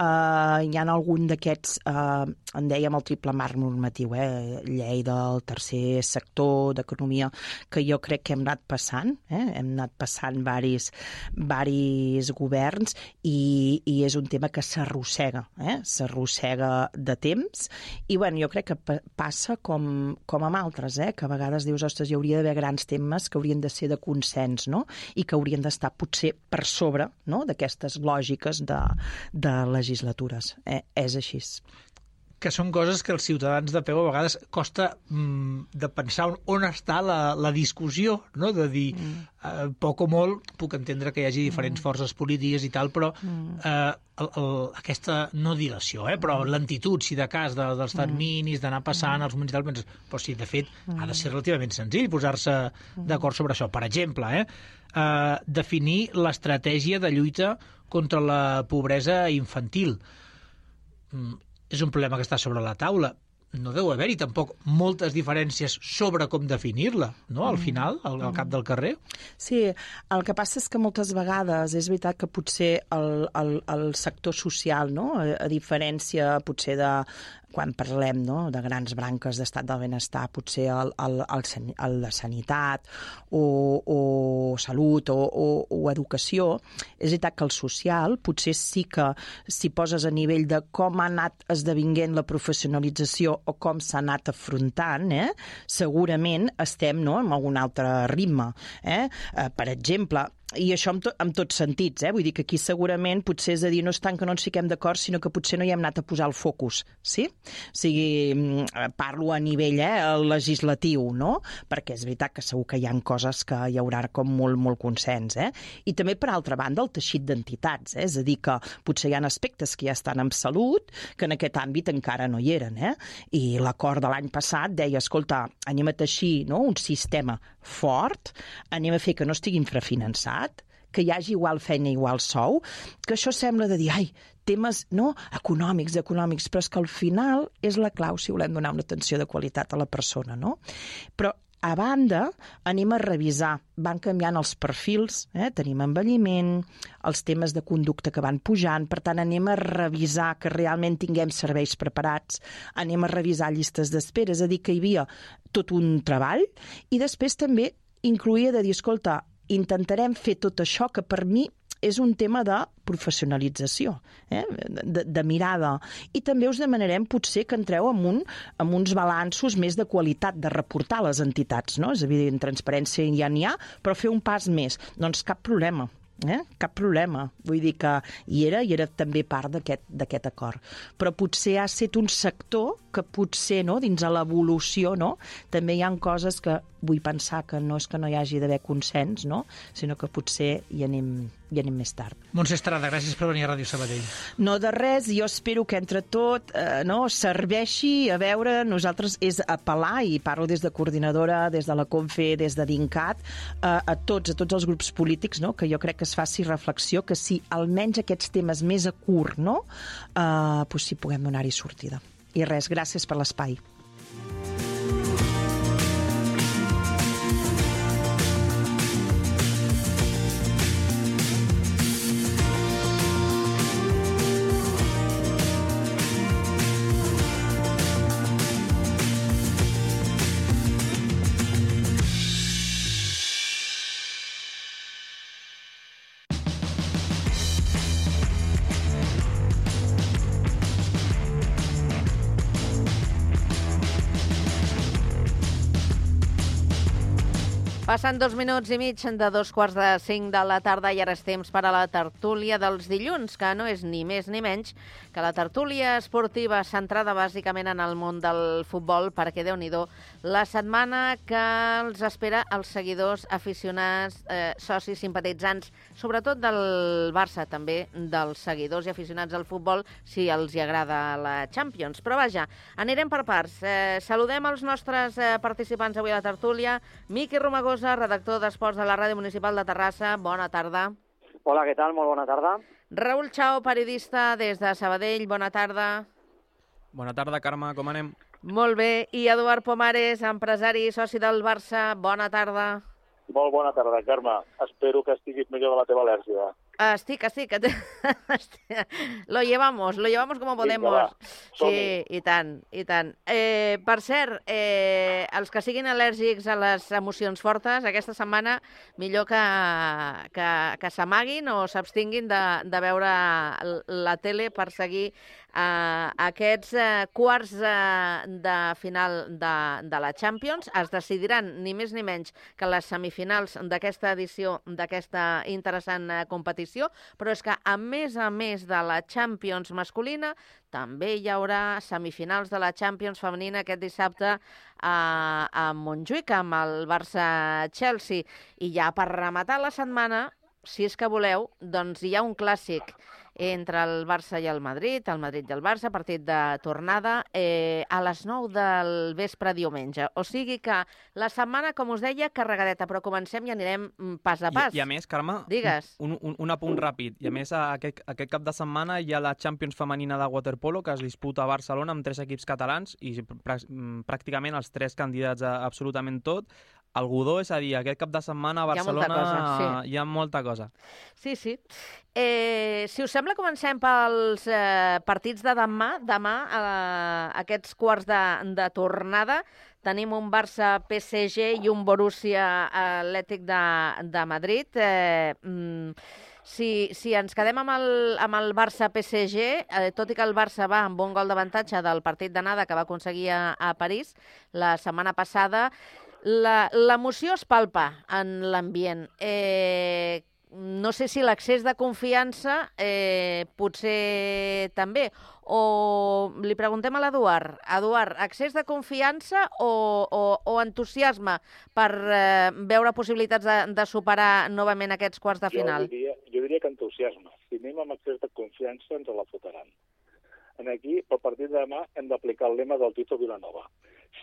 Uh, hi ha algun d'aquests, uh, en dèiem el triple marc normatiu, eh? Llei del tercer sector, d'economia, que jo crec que hem anat passant, eh? hem anat passant varis, varis governs i, i és un tema que s'arrossega, eh? s'arrossega de temps i bueno, jo crec que passa com, com amb altres, eh? que a vegades dius, ostres, hi hauria d'haver grans temes que haurien de ser de consens, no? I que haurien d'estar potser per sobre, no?, d'aquestes lògiques de, de legislatures. Eh, és així. Que són coses que els ciutadans de peu a vegades costa mm, de pensar on, on està la, la discussió, no? De dir, mm. eh, poc o molt, puc entendre que hi hagi diferents mm. forces polítiques i tal, però mm. eh, el, el, aquesta, no dilació, eh, però mm. lentitud, si de cas, de, dels terminis, d'anar passant mm. els moments i tal, penses, però sí, de fet, mm. ha de ser relativament senzill posar-se mm. d'acord sobre això. Per exemple, eh, eh, definir l'estratègia de lluita contra la pobresa infantil. Mm. És un problema que està sobre la taula. No deu haver-hi tampoc moltes diferències sobre com definir-la, no?, al final, al, al cap del carrer. Sí, el que passa és que moltes vegades és veritat que potser el, el, el sector social, no?, a, a diferència potser de quan parlem, no?, de grans branques d'estat del benestar, potser el, el, el, el de sanitat o, o salut o, o, o educació, és veritat que el social potser sí que si poses a nivell de com ha anat esdevinguent la professionalització o com s'ha anat afrontant, eh, segurament estem, no?, en algun altre ritme. Eh? Eh, per exemple, i això en, to, en tots sentits, eh? Vull dir que aquí segurament potser és a dir, no és tant que no ens fiquem d'acord, sinó que potser no hi hem anat a posar el focus, sí? O sigui, parlo a nivell eh, legislatiu, no? Perquè és veritat que segur que hi ha coses que hi haurà com molt, molt consens, eh? I també, per altra banda, el teixit d'entitats, eh? És a dir, que potser hi ha aspectes que ja estan en salut, que en aquest àmbit encara no hi eren, eh? I l'acord de l'any passat deia, escolta, anem a teixir, no?, un sistema fort, anem a fer que no estigui infrafinançat, que hi hagi igual feina, igual sou, que això sembla de dir, ai, temes no, econòmics, econòmics, però és que al final és la clau si volem donar una atenció de qualitat a la persona, no? Però a banda, anem a revisar, van canviant els perfils, eh? Tenim envelliment, els temes de conducta que van pujant, per tant anem a revisar que realment tinguem serveis preparats, anem a revisar llistes d'espera, és a dir, que hi havia tot un treball, i després també incloïa de dir, escolta, intentarem fer tot això que per mi és un tema de professionalització, eh? de, de mirada. I també us demanarem potser que entreu amb, un, amb uns balanços més de qualitat de reportar a les entitats, no? És evident, transparència ja n'hi ha, però fer un pas més. Doncs cap problema. Eh? Cap problema. Vull dir que hi era i era també part d'aquest acord. Però potser ha estat un sector que potser, no, dins de l'evolució, no, també hi ha coses que vull pensar que no és que no hi hagi d'haver consens, no, sinó que potser hi anem, hi anem més tard. Montse Estrada, gràcies per venir a Ràdio Sabadell. No de res, jo espero que entre tot eh, no, serveixi a veure, nosaltres és apel·lar, i parlo des de coordinadora, des de la CONFE, des de DINCAT, eh, a tots, a tots els grups polítics, no, que jo crec que es faci reflexió, que si almenys aquests temes més a curt, no, eh, pues si puguem donar-hi sortida. I res, gràcies per l'espai. Passen dos minuts i mig de dos quarts de cinc de la tarda i ara és temps per a la tertúlia dels dilluns, que no és ni més ni menys que la tertúlia esportiva centrada bàsicament en el món del futbol, perquè Déu-n'hi-do la setmana que els espera els seguidors, aficionats, eh, socis, simpatitzants, sobretot del Barça, també dels seguidors i aficionats al futbol, si els hi agrada la Champions. Però vaja, anirem per parts. Eh, saludem els nostres eh, participants avui a la tertúlia. Miqui Romagosa, redactor d'Esports de la Ràdio Municipal de Terrassa. Bona tarda. Hola, què tal? Molt bona tarda. Raül Chao, periodista des de Sabadell. Bona tarda. Bona tarda, Carme. Com anem? Molt bé. I Eduard Pomares, empresari i soci del Barça. Bona tarda. Molt bona tarda, Carme. Espero que estiguis millor de la teva al·lèrgia. Estic, estic. Lo llevamos, lo llevamos como podemos. Vinga, va. Sí, i tant, i tant. Eh, per cert, eh, els que siguin al·lèrgics a les emocions fortes, aquesta setmana millor que, que, que s'amaguin o s'abstinguin de, de veure la tele per seguir eh, aquests eh, quarts eh, de final de, de la Champions. Es decidiran ni més ni menys que les semifinals d'aquesta edició, d'aquesta interessant eh, competició, però és que a més a més de la Champions masculina també hi haurà semifinals de la Champions femenina aquest dissabte a, a Montjuïc amb el Barça-Chelsea. I ja per rematar la setmana, si és que voleu, doncs hi ha un clàssic entre el Barça i el Madrid, el Madrid i el Barça, partit de tornada, eh, a les nou del vespre diumenge. O sigui que la setmana, com us deia, carregadeta, però comencem i anirem pas a pas. I, i a més, Carme, Digues. un, un, un apunt ràpid. I a més, aquest, aquest cap de setmana hi ha la Champions femenina de waterpolo que es disputa a Barcelona amb tres equips catalans i pràcticament els tres candidats a absolutament tot. Godó, és a dir, aquest cap de setmana a Barcelona hi ha molta cosa, sí. hi ha molta cosa. Sí, sí. Eh, si us sembla, comencem pels eh, partits de demà. Demà, eh, aquests quarts de, de tornada, tenim un Barça-P S G i un Borussia Atlètic de, de Madrid. Eh, mm, Si, si ens quedem amb el, amb el Barça-P S G, eh, tot i que el Barça va amb un gol d'avantatge del partit d'anada que va aconseguir a, a París la setmana passada, l'emoció es palpa en l'ambient. Eh, no sé si l'accés de confiança eh, potser també. O li preguntem a l'Eduard. Eduard, accés de confiança o, o, o entusiasme per eh, veure possibilitats de, de superar novament aquests quarts de final? Jo diria, jo diria que entusiasme. Si anem amb accés de confiança ens la fotran. En aquí, pel partit de demà, hem d'aplicar el lema del Tito Vilanova.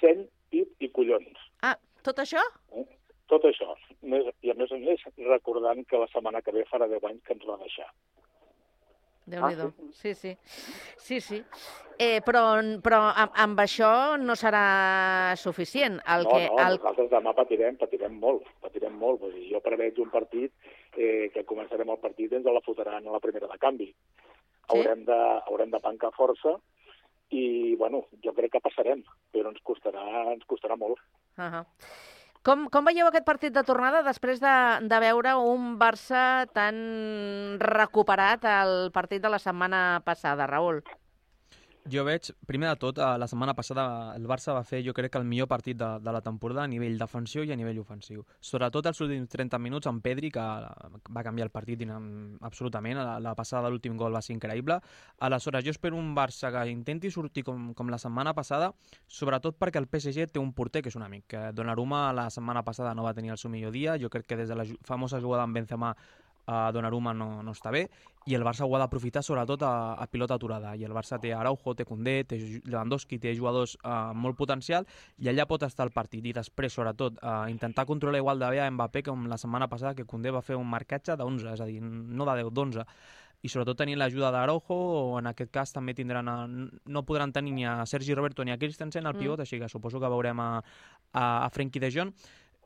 Seny, pit i collons. Ah, tot això? Eh? Tot això. I a més a més, recordant que la setmana que ve farà deu anys que ens va deixar. Déu-n'hi-do. Ah, sí, sí. sí, sí. Eh, però però amb, amb això no serà suficient. El no, que, no, el... nosaltres demà patirem, patirem molt, patirem molt. Vull dir, jo preveig un partit eh, que començarem el partit i ens la fotran a la primera de canvi. Sí? Haurem de, haurem de pencar força i, bueno, jo crec que passarem, però ens costarà, ens costarà molt. Uh -huh. Com, com veieu aquest partit de tornada després de, de veure un Barça tan recuperat al partit de la setmana passada, Raül? Jo veig, primer de tot, la setmana passada el Barça va fer, jo crec, el millor partit de, de la temporada a nivell defensiu i a nivell ofensiu. Sobretot els últims trenta minuts amb Pedri, que va canviar el partit absolutament. La, la passada de l'últim gol va ser increïble. Aleshores, jo espero un Barça que intenti sortir com, com la setmana passada, sobretot perquè el P S G té un porter que és un amic. Donnarumma la setmana passada no va tenir el seu millor dia. Jo crec que des de la famosa jugada amb Benzema Uh, Donnarumma no, no està bé, i el Barça ho ha d'aprofitar sobretot a, a pilota aturada, i el Barça té Araujo, té Koundé, té Lewandowski, té jugadors uh, molt potencial, i allà pot estar el partit, i després sobretot uh, intentar controlar igual de bé a Mbappé com la setmana passada, que Koundé va fer un marcatge d'onze, és a dir, no de deu, d'onze, i sobretot tenir l'ajuda d'Araujo, o en aquest cas també tindran a, no podran tenir ni a Sergi Roberto ni a Christensen al pivot, mm. així que suposo que veurem a, a, a Frenkie de Jong,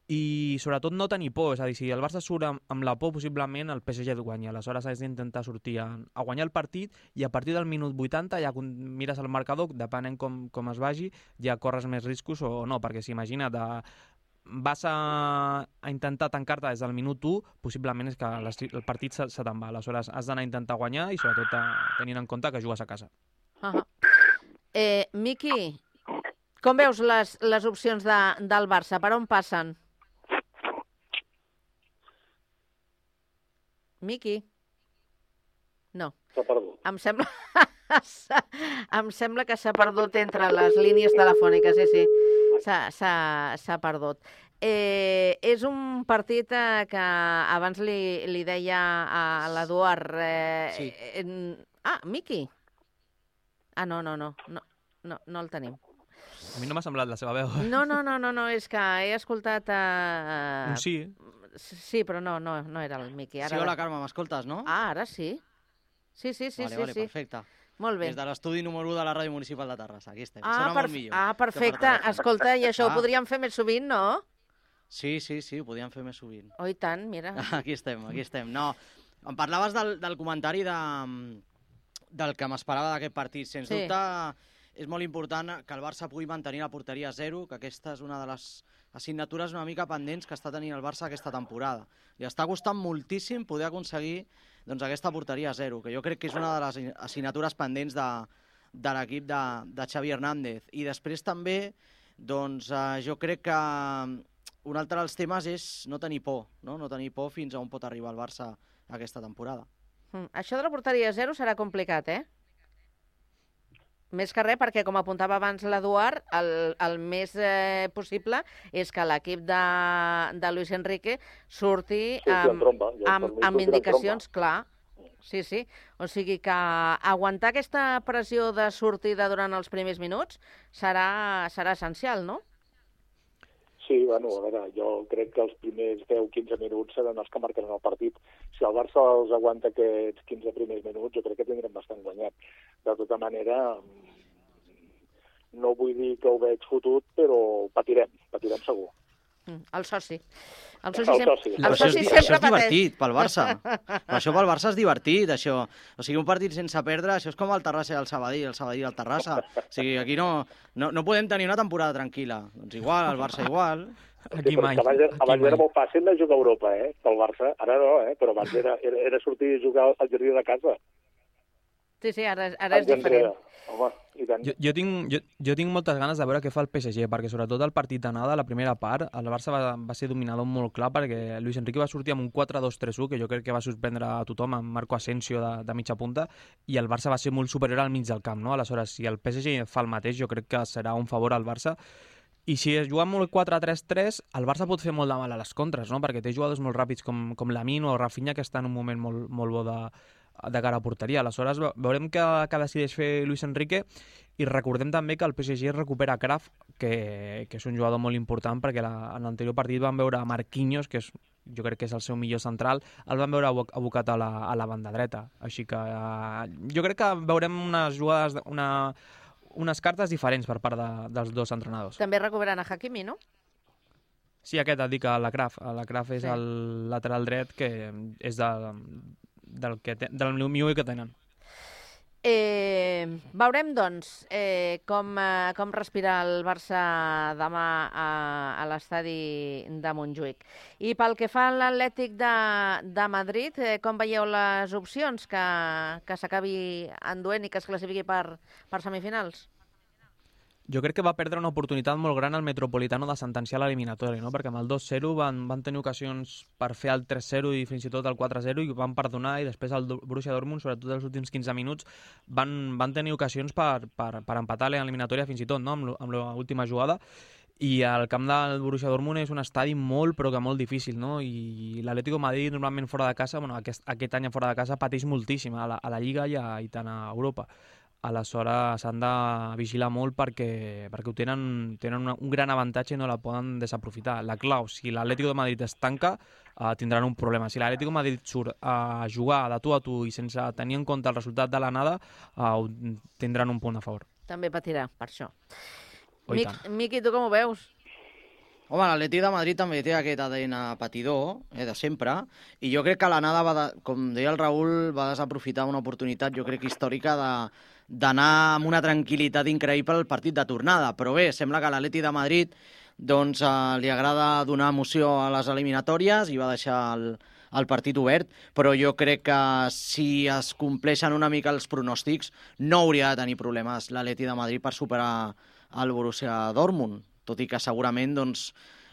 i sobretot no tenir por, és a dir, si el Barça surt amb, amb la por, possiblement el P S G et guanya, aleshores has d'intentar sortir a, a guanyar el partit, i a partir del minut vuitanta ja mires el marcador, depenent com, com es vagi, ja corres més riscos o no, perquè si imagina't, de, vas a, a intentar tancar-te des del minut u, possiblement és que el partit se, se te'n va, aleshores has d'anar a intentar guanyar i sobretot a, tenint en compte que jugues a casa. Uh -huh. eh, Miqui, com veus les, les opcions de, del Barça? Per on passen? Miqui? No. S'ha perdut. Em sembla... em sembla que s'ha perdut entre les línies telefòniques, sí, sí. S'ha perdut. Eh, és un partit eh, que abans li, li deia a l'Eduard... Eh, sí. Eh, ah, Miqui? Ah, no, no, no, no, no, no el tenim. A mi no m'ha semblat la seva veu. No, no, no, no, no, és que he escoltat... Eh... Un sí. Sí, però no, no, no era el Miqui. Ara... Sí, hola, Carme, m'escoltes, no? Ah, ara sí. Sí, sí, sí, vale, sí. Vale, sí. perfecte. Molt bé. Des de l'estudi número u de la Ràdio Municipal de Terrassa, aquí estem. Ah, Sona per... molt millor. ah perfecte. Escolta, i això ah. ho podríem fer més sovint, no? Sí, sí, sí, ho podríem fer més sovint. Oh, i tant, mira. Aquí estem, aquí estem. No, em parlaves del, del comentari de, del que m'esperava d'aquest partit. Sens sí. dubte, és molt important que el Barça pugui mantenir la porteria a zero, que aquesta és una de les assignatures una mica pendents que està tenint el Barça aquesta temporada. I està costant moltíssim poder aconseguir doncs, aquesta porteria a zero, que jo crec que és una de les assignatures pendents de, de l'equip de, de Xavi Hernández. I després també, doncs, eh, jo crec que un altre dels temes és no tenir por, no? no tenir por fins a on pot arribar el Barça aquesta temporada. Mm, això de la porteria a zero serà complicat, eh? Més que res, perquè, com apuntava abans l'Eduard, el, el més eh, possible és que l'equip de, de Luis Enrique surti sí, amb, tromba, amb, amb indicacions, clar. Sí, sí. O sigui que aguantar aquesta pressió de sortida durant els primers minuts serà, serà essencial, no? Sí, bueno, a veure, jo crec que els primers deu a quinze minuts seran els que marcaran el partit. Si el Barça els aguanta aquests quinze primers minuts, jo crec que tindrem bastant guanyat. De tota manera, no vull dir que ho veig fotut, però patirem, patirem segur. El soci. El soci, El sempre, soci. el soci Això és, sempre això és pateix. divertit pel Barça. Això pel Barça és divertit, això. O sigui, un partit sense perdre, això és com el Terrassa i el Sabadell, el Sabadell i el Terrassa. O sigui, aquí no, no, no podem tenir una temporada tranquil·la. Doncs igual, el Barça igual. Sí, però és que abans, abans era molt fàcil de jugar a Europa, eh, pel Barça. Ara no, eh, però abans era, era, era sortir a jugar al jardí de casa. Sí, sí, ara, ara és diferent. Home, i tant. Jo, jo, tinc, jo, jo tinc moltes ganes de veure què fa el P S G, perquè sobretot el partit d'anada, la primera part, el Barça va, va ser dominador molt clar, perquè Luis Enrique va sortir amb un quatre dos tres u, que jo crec que va sorprendre a tothom, amb Marco Asensio de, de mitja punta, i el Barça va ser molt superior al mig del camp, no? Aleshores, si el P S G fa el mateix, jo crec que serà un favor al Barça. I si es juga molt quatre tres tres, el Barça pot fer molt de mal a les contres, no? Perquè té jugadors molt ràpids com, com Lamine o Rafinha, que està en un moment molt, molt bo de, de cara a porteria. Aleshores, veurem què, què decideix fer Luis Enrique, i recordem també que el P S G recupera Kraft, que, que és un jugador molt important, perquè la, en l'anterior partit van veure Marquinhos, que és, jo crec que és el seu millor central, el van veure abocat a la, a la banda dreta. Així que eh, jo crec que veurem unes jugades, una, unes cartes diferents per part de, dels dos entrenadors. També recuperen a Hakimi, no? Sí, aquest et dic, la Kraft. La Kraft és Sí. el lateral dret, que és de, del, que te, del millor que tenen. Eh, veurem, doncs, eh, com, eh, com respira el Barça demà a, a l'estadi de Montjuïc. I pel que fa a l'Atlètic de, de Madrid, eh, com veieu les opcions que, que s'acabi enduent i que es classifiqui per, per semifinals? Jo crec que va perdre una oportunitat molt gran al Metropolitano de sentenciar l'eliminatori, no? Perquè amb el dos zero van, van tenir ocasions per fer el tres zero i fins i tot el quatre zero i van perdonar, i després el Borussia Dortmund, sobretot els últims quinze minuts, van, van tenir ocasions per, per, per empatar l'eliminatòria fins i tot, no? amb, amb l'última jugada. I el camp del Borussia Dortmund és un estadi molt, però que molt difícil, no? I l'Atlético de Madrid, normalment fora de casa, bueno, aquest, aquest any fora de casa, pateix moltíssim a la, a la Lliga i, a, i tant a Europa. Aleshores s'han de vigilar molt perquè, perquè ho tenen, tenen una, un gran avantatge i no la poden desaprofitar. La clau, si l'Atlético de Madrid es tanca, eh, tindran un problema. Si l'Atlético de Madrid surt a jugar de tu a tu i sense tenir en compte el resultat de l'anada, eh, tindran un punt a favor. També patirà, per això. Oh, Mic, Miqui, tu com ho veus? Home, l'Atlètic de Madrid també té aquest A D N patidor, eh, de sempre, i jo crec que l'anada, va de, com deia el Raül, va desaprofitar una oportunitat, jo crec, històrica de d'anar amb una tranquil·litat increïble al partit de tornada. Però bé, sembla que a l'Atlètic de Madrid doncs, eh, li agrada donar emoció a les eliminatòries i va deixar el, el partit obert, però jo crec que si es compleixen una mica els pronòstics no hauria de tenir problemes l'Atlètic de Madrid per superar el Borussia Dortmund, tot i que segurament doncs,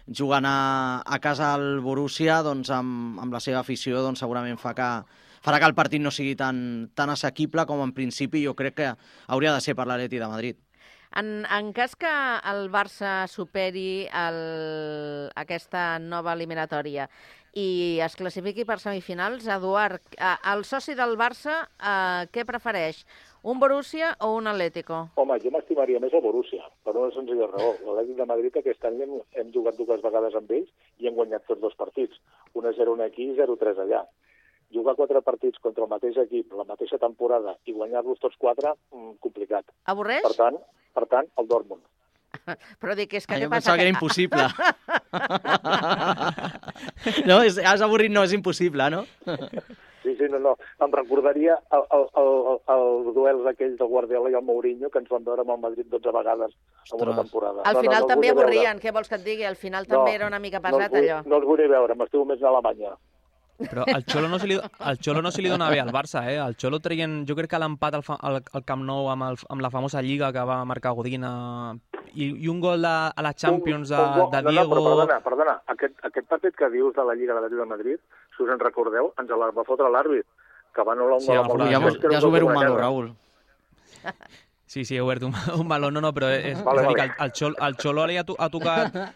jugant a, a casa al Borussia doncs, amb, amb la seva afició doncs, segurament fa que farà que el partit no sigui tan, tan assequible com en principi jo crec que hauria de ser per l'Atlètic de Madrid. En, en cas que el Barça superi el, aquesta nova eliminatòria i es classifiqui per semifinals, Eduard, el soci del Barça, eh, què prefereix? Un Borussia o un Atlético? Home, jo m'estimaria més el Borussia, per una senzilla raó. L'Atlètic de Madrid aquest any hem, hem jugat dues vegades amb ells i hem guanyat tots dos partits. un a zero aquí i zero a tres allà. Jugar quatre partits contra el mateix equip, la mateixa temporada, i guanyar-los tots quatre, mmm, complicat. Avorreix? Per tant, per tant, el Dortmund. Però dic, és que ah, què jo passa? pensava que era impossible. No, és, has avorrit, no, és impossible, no? Sí, sí, no, no. Em recordaria el, el, el, els duels aquells del Guardiola i el Mourinho que ens van veure amb el Madrid dotze vegades en una temporada. Al no, final no, no també avorrien, veure. què vols que et digui? Al final No, també era una mica pesat, no vull, allò. No els vull veure, m'estimo més a Alemanya. Però el Xolo no se li, el Xolo no se li dona bé al Barça, eh? El Xolo traient, jo crec que l'empat al, fa- al, al Camp Nou amb, el, amb la famosa lliga que va marcar Godín a, i, i un gol de, a la Champions de, Un- un- de no, Diego... No, però perdona, perdona. Aquest, aquest partit que dius de la Lliga de l'Atlètic de Madrid, si us en recordeu, ens el va fotre l'àrbit, que va anul·lar un Sí, gol a la amb el ja Barça, has- que era Ja un has gol obert un com una malo, guerra. Raül. Sí, sí, he obert un, un baló, no, no, però és, Vale, és a dir, vale. que el, el, Xolo, el Xolo li ha, to, ha tocat...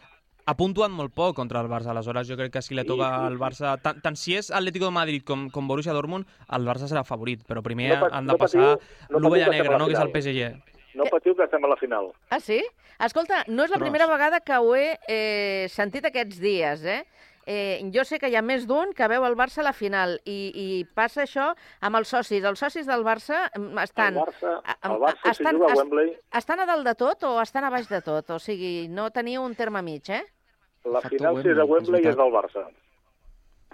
Ha puntuat molt poc contra el Barça, aleshores jo crec que si li toca sí, al Barça... Tant, tant si és Atlético de Madrid com, com Borussia Dortmund, el Barça serà favorit, però primer No pat- han de no passar patiu- no l'ovella patiu que negra, estem a la no?, que és el final. P S G. No patiu que estem a la final. Ah, sí? Escolta, no és la Ostres. primera vegada que ho he eh, sentit aquests dies, eh? Eh, jo sé que hi ha més d'un que veu el Barça a la final i, i passa això amb els socis. Els socis del Barça mm, estan... El Barça, a- el Barça si estan, juga a est- Wembley... estan a dalt de tot o estan a baix de tot? O sigui, no teniu un terme mig, eh? La final, si és a Wembley, és del Barça.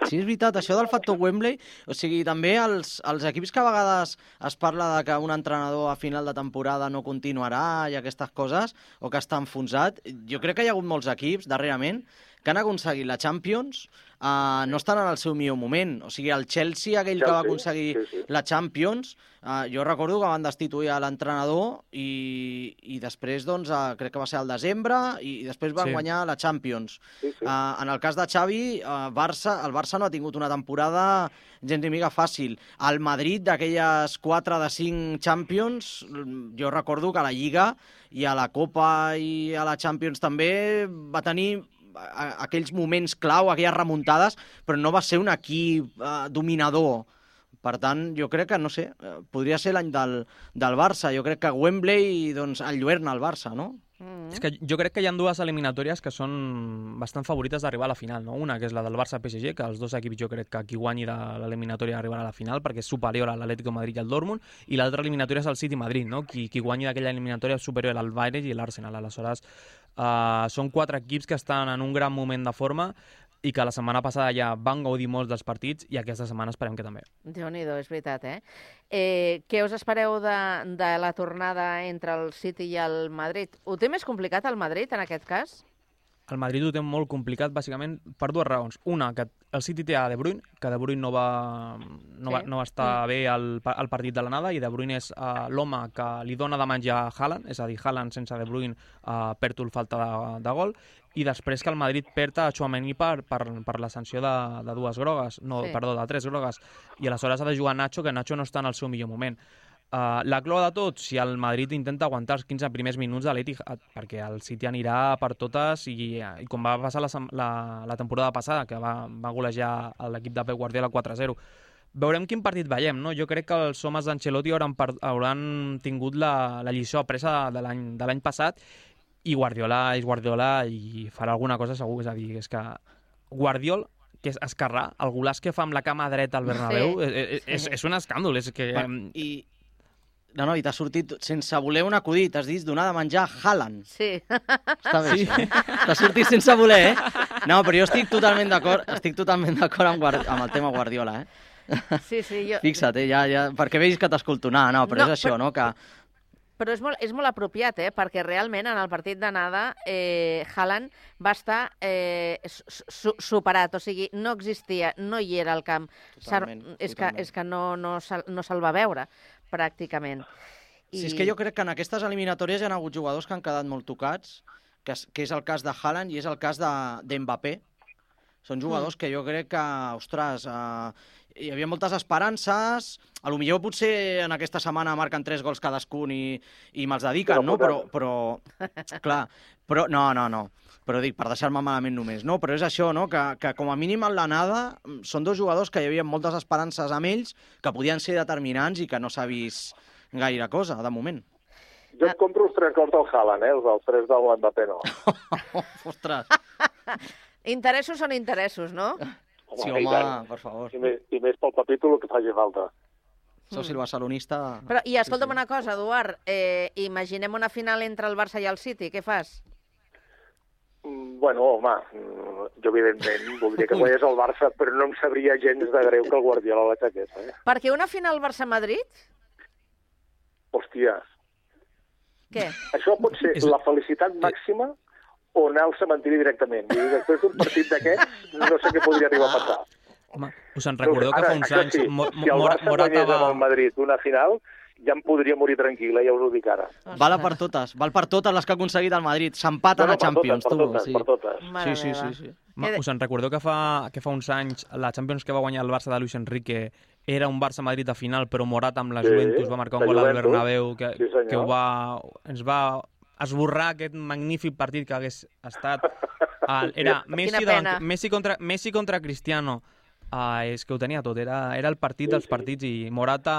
Sí, és veritat, això del factor Wembley, o sigui, també els, els equips que a vegades es parla de que un entrenador a final de temporada no continuarà i aquestes coses, o que està enfonsat, jo crec que hi ha hagut molts equips, darrerament, que han aconseguit la Champions, uh, no estan en el seu millor moment. O sigui, el Chelsea, aquell Chelsea, que va aconseguir sí, sí. la Champions, uh, jo recordo que van destituir a l'entrenador i, i després, doncs, uh, crec que va ser al desembre, i, i després van sí. guanyar la Champions. Sí, sí. Uh, en el cas de Xavi, uh, Barça, el Barça no ha tingut una temporada gens ni mica fàcil. El Madrid, d'aquelles quatre de cinc Champions, jo recordo que a la Lliga i a la Copa i a la Champions també va tenir aquells moments clau, aquelles remuntades, però no va ser un equip eh, dominador. Per tant, jo crec que, no sé, podria ser l'any del, del Barça. Jo crec que Wembley, doncs, enlluerna el Barça, no? Mm. És que jo crec que hi ha dues eliminatòries que són bastant favorites d'arribar a la final, no? Una, que és la del Barça-P S G, que els dos equips jo crec que qui guanyi de l'eliminatòria arribarà a la final, perquè és superior a l'Atlético de Madrid i al Dortmund, i l'altra eliminatòria és el City-Madrid, no? Qui, qui guanyi d'aquella eliminatòria és superior al Bayern i l'Arsenal. Aleshores, uh, són quatre equips que estan en un gran moment de forma i que la setmana passada ja van gaudir molts dels partits i aquesta setmana esperem que també. Déu-n'hi-do, és veritat, eh? eh què us espereu de, de la tornada entre el City i el Madrid? Ho té més complicat el Madrid, en aquest cas? El Madrid ho té molt complicat, bàsicament, per dues raons. Una, que el City té a De Bruyne, que De Bruyne no va, no va, no va estar mm. bé al, al partit de l'anada, i De Bruyne és uh, l'home que li dona de menjar a Haaland, és a dir, Haaland sense De Bruyne uh, perd el falta de, de gol, i després que el Madrid perd a Tchouaméni per, per, per la sanció de, de dues grogues, no, sí. perdó, de tres grogues, i aleshores ha de jugar Nacho, que Nacho no està en el seu millor moment. Uh, la clau de tot, si el Madrid intenta aguantar els quinze primers minuts de l'Etihad, perquè el City anirà per totes, i, i com va passar la, la, la temporada passada, que va, va golejar l'equip de Pep Guardiola quatre a zero. Veurem quin partit veiem, no? Jo crec que els homes d'Ancelotti hauran, hauran tingut la, la lliçó apresa de l'any passat, i Guardiola és Guardiola i farà alguna cosa segur, és a dir, és que Guardiola, que és esquerrà, el golaç que fa amb la cama dreta al Bernabéu, sí, és, és, és un escàndol, és que... I, no, no, i t'ha sortit, sense voler un acudit, t'has dit donar de menjar a Haaland. Sí. Està bé, sí. T'ha sortit sense voler, eh? No, però jo estic totalment d'acord, estic totalment d'acord amb, amb el tema Guardiola, eh? Sí, sí, jo... Fixa't, eh, ja, ja, perquè veus que t'escolto anar, no, però no, és això, però... no, que... Però és molt, és molt apropiat, eh? Perquè realment en el partit d'anada eh, Haaland va estar eh, su superat, o sigui, no existia, no hi era al camp. Totalment, és, totalment. Que, és que no, no, se'l no se va veure, pràcticament. I... Sí, és que jo crec que en aquestes eliminatòries hi ha hagut jugadors que han quedat molt tocats, que és, que és el cas de Haaland i és el cas d'Mbappé. De, Són jugadors mm. que jo crec que, ostres... Eh, hi havia moltes esperances, a lo millor potser en aquesta setmana marquen tres gols cadascun i, i me'ls dediquen, no? Però, però, clar, però, no, no, no, però dic, per deixar-me malament només, no? Però és això, no? Que, que com a mínim en l'anada són dos jugadors que hi havia moltes esperances amb ells, que podien ser determinants i que no s'ha vist gaire cosa, de moment. Jo et compro els tres gols del Haaland, eh? Els tres del Mbappé, no. Ostres. Interessos són interessos, no? Home, sí, home, per favor. I més, i més pel capítol que faci falta. Sou si el barcelonista... Però, i escolta'm sí, sí. una cosa, Eduard, eh, imaginem una final entre el Barça i el City, què fas? Mm, bueno, home, jo evidentment voldria que guanyés el Barça, però no em sabria gens de greu que el Guardiola l'aixequés. Eh? Per què una final Barça-Madrid? Hòstia. Què? Això pot ser la felicitat màxima o anar al cementiri directament. I després d'un partit d'aquests, no sé què podria arribar a passar. Home, us en recordeu que fa uns anys... Sí, mo si el Barça guanyés amb el Madrid una final, ja em podria morir tranquil·la, ja us ho dic ara. Val per totes, val per totes les que ha aconseguit el Madrid. S'empaten no, no, a Champions, per totes, tu. Per totes, sí. per totes. Sí, sí, sí, sí. Ma, us en recordeu que fa, que fa uns anys la Champions que va guanyar el Barça de Luis Enrique era un Barça-Madrid de final, però Morata amb la sí, Juventus va marcar un gol al Bernabéu que, sí, que ho va, ens va esborrar aquest magnífic partit que hagués estat. Uh, era Messi, davant, Messi, contra, Messi contra Cristiano. Uh, és que ho tenia tot, era, era el partit sí, dels partits sí. I Morata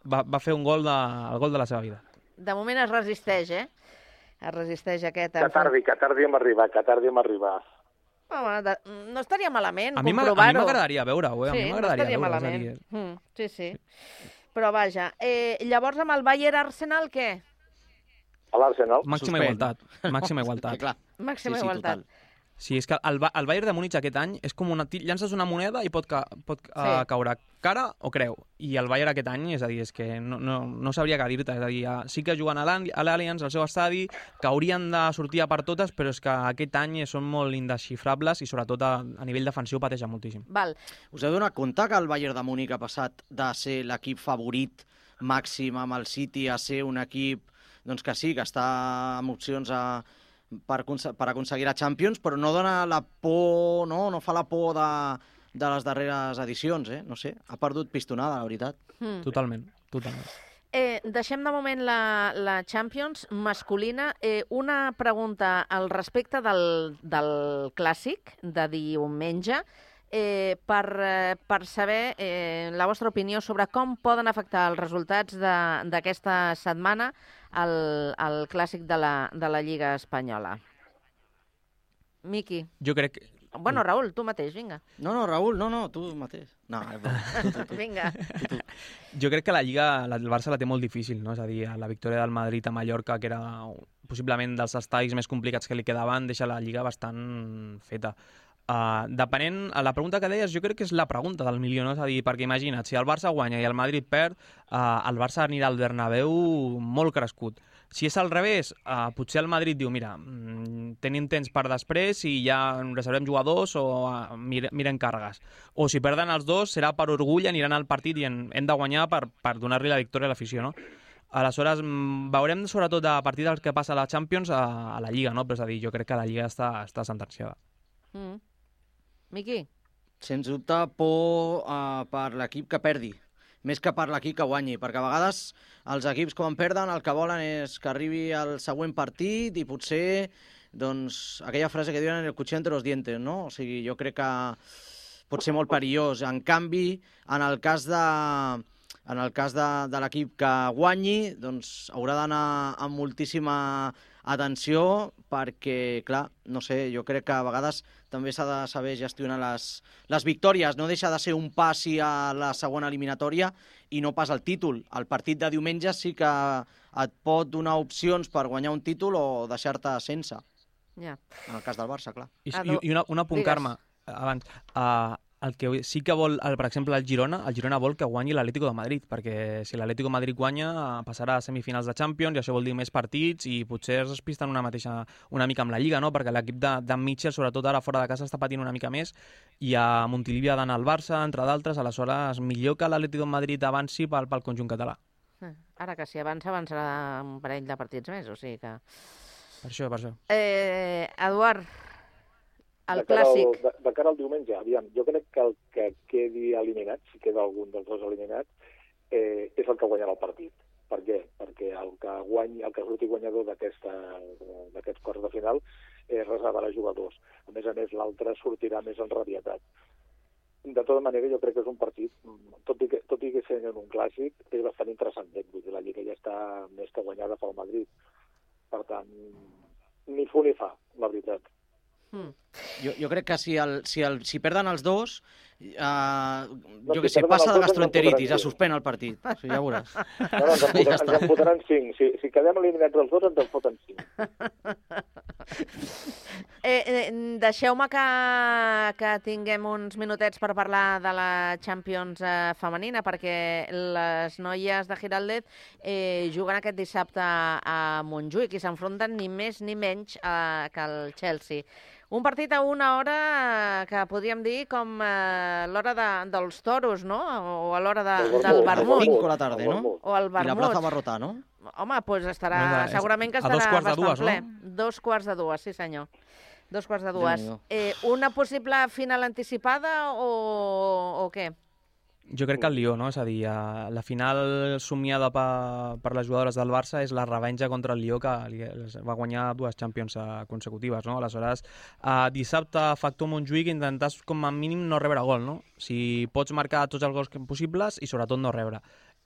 va, va fer un gol de, el gol de la seva vida. De moment es resisteix, eh? Es resisteix aquest... Que tardi, que tardi en arribar, que tardi en arribar. Home, de, no estaria malament a comprovar-ho. A mi m'agradaria veure-ho, eh? A sí, mi m'agradaria no veure-ho. Malament. Mm, sí, sí. Però vaja, eh, llavors amb el Bayern-Arsenal què? A l'Arsenal. Màxima igualtat. Màxima igualtat. Màxima sí, sí, igualtat. Total. Sí, és que el, el Bayern de Múnich aquest any és com una... llances una moneda i pot, ca, pot sí. uh, caure cara o creu. I el Bayern aquest any, és a dir, és que no, no, no sabria què dir-te. És a dir, sí que juguen a l'Allianz, al seu estadi, que haurien de sortir a per totes, però és que aquest any són molt indesxifrables i sobretot a, a nivell defensiu pateixen moltíssim. Val. Us heu donat compte que el Bayern de Múnich ha passat de ser l'equip favorit màxim amb el City a ser un equip doncs que sí, que està amb opcions a... Per, per aconseguir la Champions, però no dona la por, no, no fa la por de, de les darreres edicions, eh? No sé, ha perdut pistonada, la veritat. Mm. Totalment, totalment. Eh, deixem de moment la, la Champions masculina. Eh, una pregunta al respecte del, del clàssic de diumenge, eh, per, eh, per saber eh, la vostra opinió sobre com poden afectar els resultats d'aquesta setmana al, al clàssic de la, de la Lliga Espanyola. Miqui. Jo crec que... Bueno, Raül, tu mateix, vinga. No, no, Raül, no, no, tu mateix. No, tu, tu, tu. Vinga. Tu, tu. Jo crec que la Lliga, el Barça la té molt difícil, no? És a dir, la victòria del Madrid a Mallorca, que era possiblement dels estadis més complicats que li quedaven, deixa la Lliga bastant feta. Uh, depenent, a la pregunta que deies, jo crec que és la pregunta del milió, no? És a dir, perquè imagina't, si el Barça guanya i el Madrid perd, uh, el Barça anirà al Bernabéu molt crescut. Si és al revés, uh, potser el Madrid diu, mira, mm, tenim temps per després i ja reservem jugadors o uh, mire, mirem càrregues. O si perden els dos, serà per orgull, aniran al partit i en, hem de guanyar per, per donar-li la victòria a l'afició, no? Aleshores, veurem sobretot a partir del que passa a la Champions a, a la Lliga, no? Però és a dir, jo crec que la Lliga està, està sentenciada. Mm. Miqui? Sens dubte, por uh, per l'equip que perdi, més que per l'equip que guanyi, perquè a vegades els equips quan perden el que volen és que arribi al següent partit i potser, doncs, aquella frase que diuen el cuchillo entre los dientes, no? O sigui, jo crec que pot ser molt perillós. En canvi, en el cas de... En el cas de, de l'equip que guanyi, doncs haurà d'anar amb moltíssima atenció perquè, clar, no sé, jo crec que a vegades també s'ha de saber gestionar les, les victòries. No deixa de ser un passi a la segona eliminatòria i no pas el títol. El partit de diumenge sí que et pot donar opcions per guanyar un títol o deixar-te sense. Ja. En el cas del Barça, clar. I, i, i una, una punt, Carme, abans... Uh, el que sí que vol, el, per exemple, el Girona, el Girona vol que guanyi l'Atlético de Madrid, perquè si l'Atlético de Madrid guanya passarà a semifinals de Champions i això vol dir més partits i potser es despisten una mateixa una mica amb la Lliga, no? Perquè l'equip de, de Mitchell, sobretot ara fora de casa, està patint una mica més i a Montilivi ha d'anar al Barça, entre d'altres, aleshores millor que l'Atlético de Madrid avanci pel, pel conjunt català. Ara que si avança, avançarà un parell de partits més, o sigui que... Per això, per això. Eh, Eduard, el de cara clàssic. Al, de, de cara al diumenge, aviam, jo crec que el que quedi eliminat, si queda algun dels dos eliminats, eh, és el que guanyarà el partit. Per què? Perquè el que guanyi, el que surti guanyador d'aquests quarts de final eh, reservarà jugadors. A més a més, l'altre sortirà més enrabietat. De tota manera, jo crec que és un partit, tot i que, tot i que sent un clàssic, és bastant interessant. Vull dir, la Lliga ja està més que guanyada pel Madrid. Per tant, ni fu ni fa, la veritat. Mm. Jo, jo crec que si, el, si, el, si perden els dos, uh, no, jo què si sé, passa de dos, gastroenteritis, es suspèn el partit. O sigui, ja veuràs. No, no, ens en, ja ens en fotran cinc. Si, si quedem eliminats els dos, ens en foten cinc. Eh, eh, Deixeu-me que, que tinguem uns minutets per parlar de la Champions eh, femenina, perquè les noies de Giraldez eh, juguen aquest dissabte a Montjuïc i s'enfronten ni més ni menys eh, que el Chelsea. Un partit a una hora que podríem dir com eh, l'hora de, dels toros, no? O a l'hora de, del vermut. cinc de la tarda, no? O el vermut. I la plaça Barrotà, no? Home, doncs estarà, no, no, segurament que a estarà dos quarts de bastant dues, ple. No? Dos quarts de dues, sí senyor. Dos quarts de dues. Déu-n'hi-do. Eh, una possible final anticipada o, o què? Jo crec que el Lió, no? És a dir, la final somiada per, per les jugadores del Barça és la revenja contra el Lió, que va guanyar dues Champions consecutives, no? Aleshores, dissabte, factor Montjuïc, intentar com a mínim no rebre gol, no? Si pots marcar tots els gols possibles i sobretot no rebre.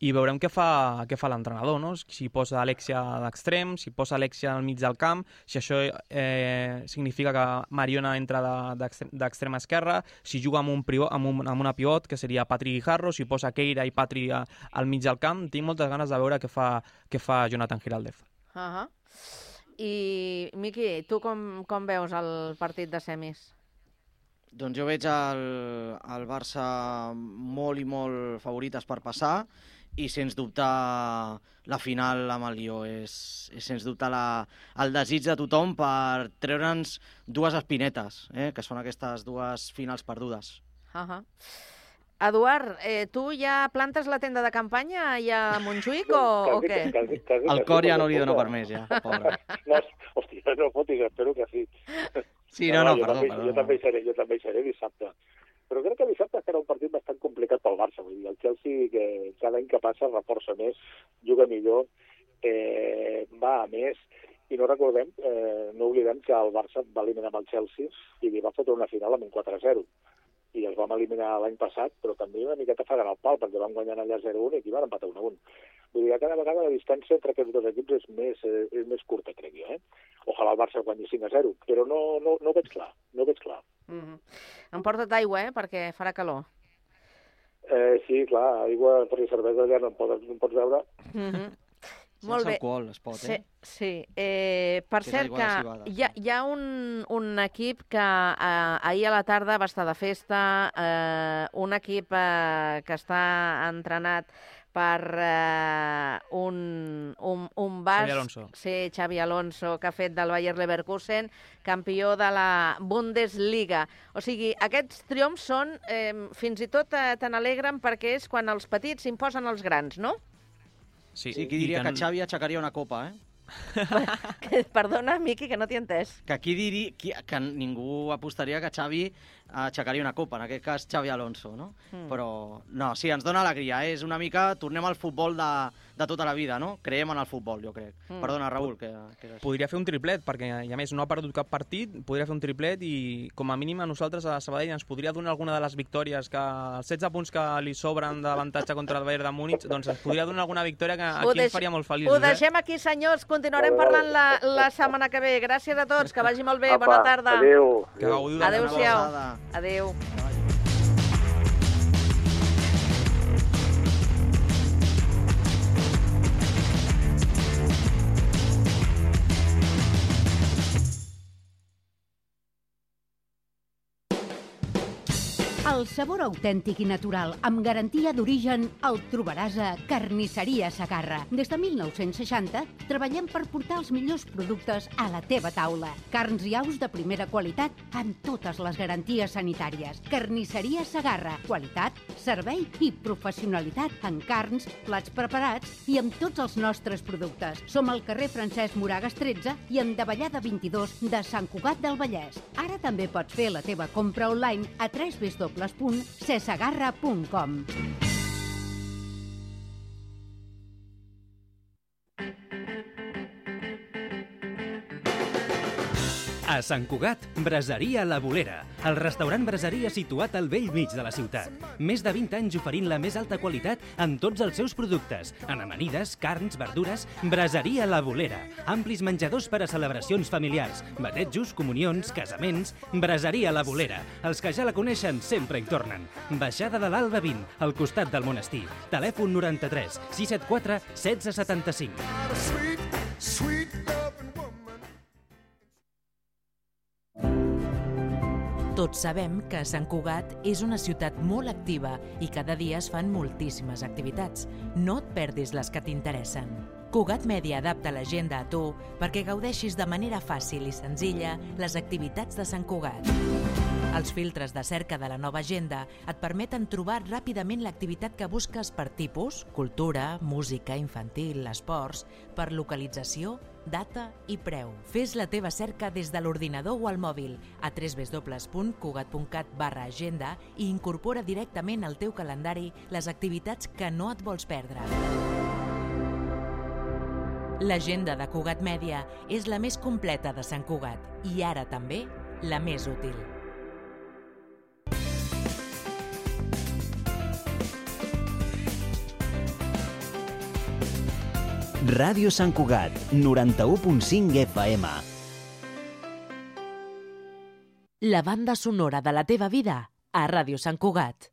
I veurem què fa, què fa l'entrenador, no? Si posa Alexia d'extrem, si posa Alexia al mig del camp, si això eh, significa que Mariona entra d'extrema esquerra, si juga amb, un pivot, amb, un, amb una pivot, que seria Patri Guijarro, si posa Keira i Patri al mig del camp, tinc moltes ganes de veure què fa, què fa Jonathan Giraldez. Uh -huh. I, Miqui, tu com, com veus el partit de semis? Doncs jo veig el, el Barça molt i molt favorites per passar i sens dubte la final amb el Lió és, és sens dubte la, el desig de tothom per treure'ns dues espinetes, eh? Que són aquestes dues finals perdudes. Uh -huh. Eduard, eh, tu ja plantes la tenda de campanya ja a Montjuïc o, o què? Quasi, quasi, El cor ja no li dona per més, ja, pobre. No, hòstia, no fotis, espero que sí. Sí, no, no, jo perdó, també, perdó. Jo també, hi seré, jo també hi seré dissabte. Però crec que dissabte serà un partit bastant complicat pel Barça. Vull dir, el Chelsea, que cada any que passa reforça més, juga millor, eh, va a més, i no recordem, eh, no oblidem que el Barça va eliminar amb el Chelsea i li va fotre una final amb un quatre a zero. I els vam eliminar l'any passat, però també una miqueta fregant el pal, perquè van guanyant allà zero a un i aquí van empatar un a un. Vull dir que cada vegada la distància entre aquests dos equips és més, eh, és més curta, crec jo. Eh? Ojalà el Barça guanyi cinc a zero, però no, no, no ho veig clar, no ho veig clar. Mm -hmm. Emporta't aigua, eh, perquè farà calor. Eh, sí, clar, aigua per cervesa allà no en pots, no en pots veure. Mm -hmm. Sense Molt bé. alcohol es pot, eh? Sí, sí. Eh, per Que és cert aigua que de civada. hi ha, hi ha un, un equip que eh, ahir a la tarda va estar de festa, eh, un equip eh, que està entrenat per eh, un, un, un basc, Xavi Alonso. sí, Xavi Alonso, que ha fet del Bayer Leverkusen campió de la Bundesliga. O sigui, aquests triomfs són, eh, fins i tot eh, te n'alegren perquè és quan els petits s'imposen als grans, no? Sí, Sí, qui diria que, que Xavi aixecaria una copa, eh? Que, perdona, Miqui, que no t'hi he entès. Que aquí diria qui, que ningú apostaria que Xavi aixecaria una copa, en aquest cas Xavi Alonso, no? Mm. Però, no, sí, ens dona alegria, eh? És una mica, tornem al futbol de, de tota la vida, no? Creiem en el futbol, jo crec. Mm. Perdona, Raül, que, que és així. Podria fer un triplet, perquè, i a més, no ha perdut cap partit, podria fer un triplet i, com a mínim, a nosaltres, a Sabadell, ens podria donar alguna de les victòries, que els setze punts que li sobren d'avantatge contra el Bayern de Múnich, doncs ens podria donar alguna victòria que Ho aquí deix- ens faria molt feliços. Ho deixem aquí, senyors. Continuarem parlant la, la setmana que ve. Gràcies a tots, que vagi molt bé. Apa, Bona tarda. adéu. Que gaudiu de la Adéu-siau. abraçada. Adéu. El sabor autèntic i natural, amb garantia d'origen, el trobaràs a Carnisseria Segarra. Des de mil nou-cents seixanta treballem per portar els millors productes a la teva taula. Carns i aus de primera qualitat amb totes les garanties sanitàries. Carnisseria Segarra. Qualitat, servei i professionalitat en carns, plats preparats i amb tots els nostres productes. Som al carrer Francesc Moragas tretze i en Davallada vint-i-dos de Sant Cugat del Vallès. Ara també pots fer la teva compra online a w w w punt cesegarra punt com. A Sant Cugat, Braseria La Bolera, el restaurant braseria situat al vell mig de la ciutat. Més de vint anys oferint la més alta qualitat en tots els seus productes, en amanides, carns, verdures. Braseria La Bolera, amplis menjadors per a celebracions familiars, batejos, comunions, casaments. Braseria La Bolera, els que ja la coneixen sempre hi tornen. Baixada de l'Alba vint, al costat del monestir. Telèfon noranta-tres sis set quatre setze setanta-cinc. Tots sabem que Sant Cugat és una ciutat molt activa i cada dia es fan moltíssimes activitats. No et perdis les que t'interessen. Cugat Mèdia adapta l'agenda a tu perquè gaudeixis de manera fàcil i senzilla les activitats de Sant Cugat. Els filtres de cerca de la nova agenda et permeten trobar ràpidament l'activitat que busques per tipus, cultura, música, infantil, esports, per localització, data i preu. Fes la teva cerca des de l'ordinador o al mòbil a w w w punt cugat punt cat barra agenda i incorpora directament al teu calendari les activitats que no et vols perdre. L'agenda de Cugat Mèdia és la més completa de Sant Cugat i ara també la més útil. Ràdio Sant Cugat, noranta-u punt cinc F M. La banda sonora de la teva vida a Ràdio Sant Cugat.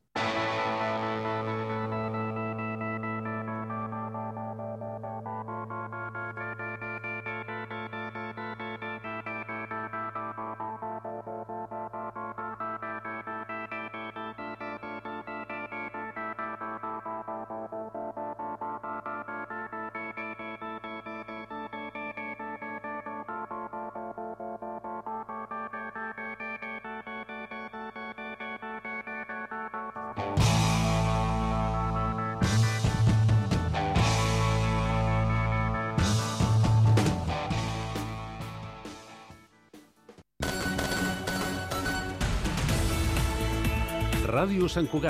Ràdio Sant Cugat.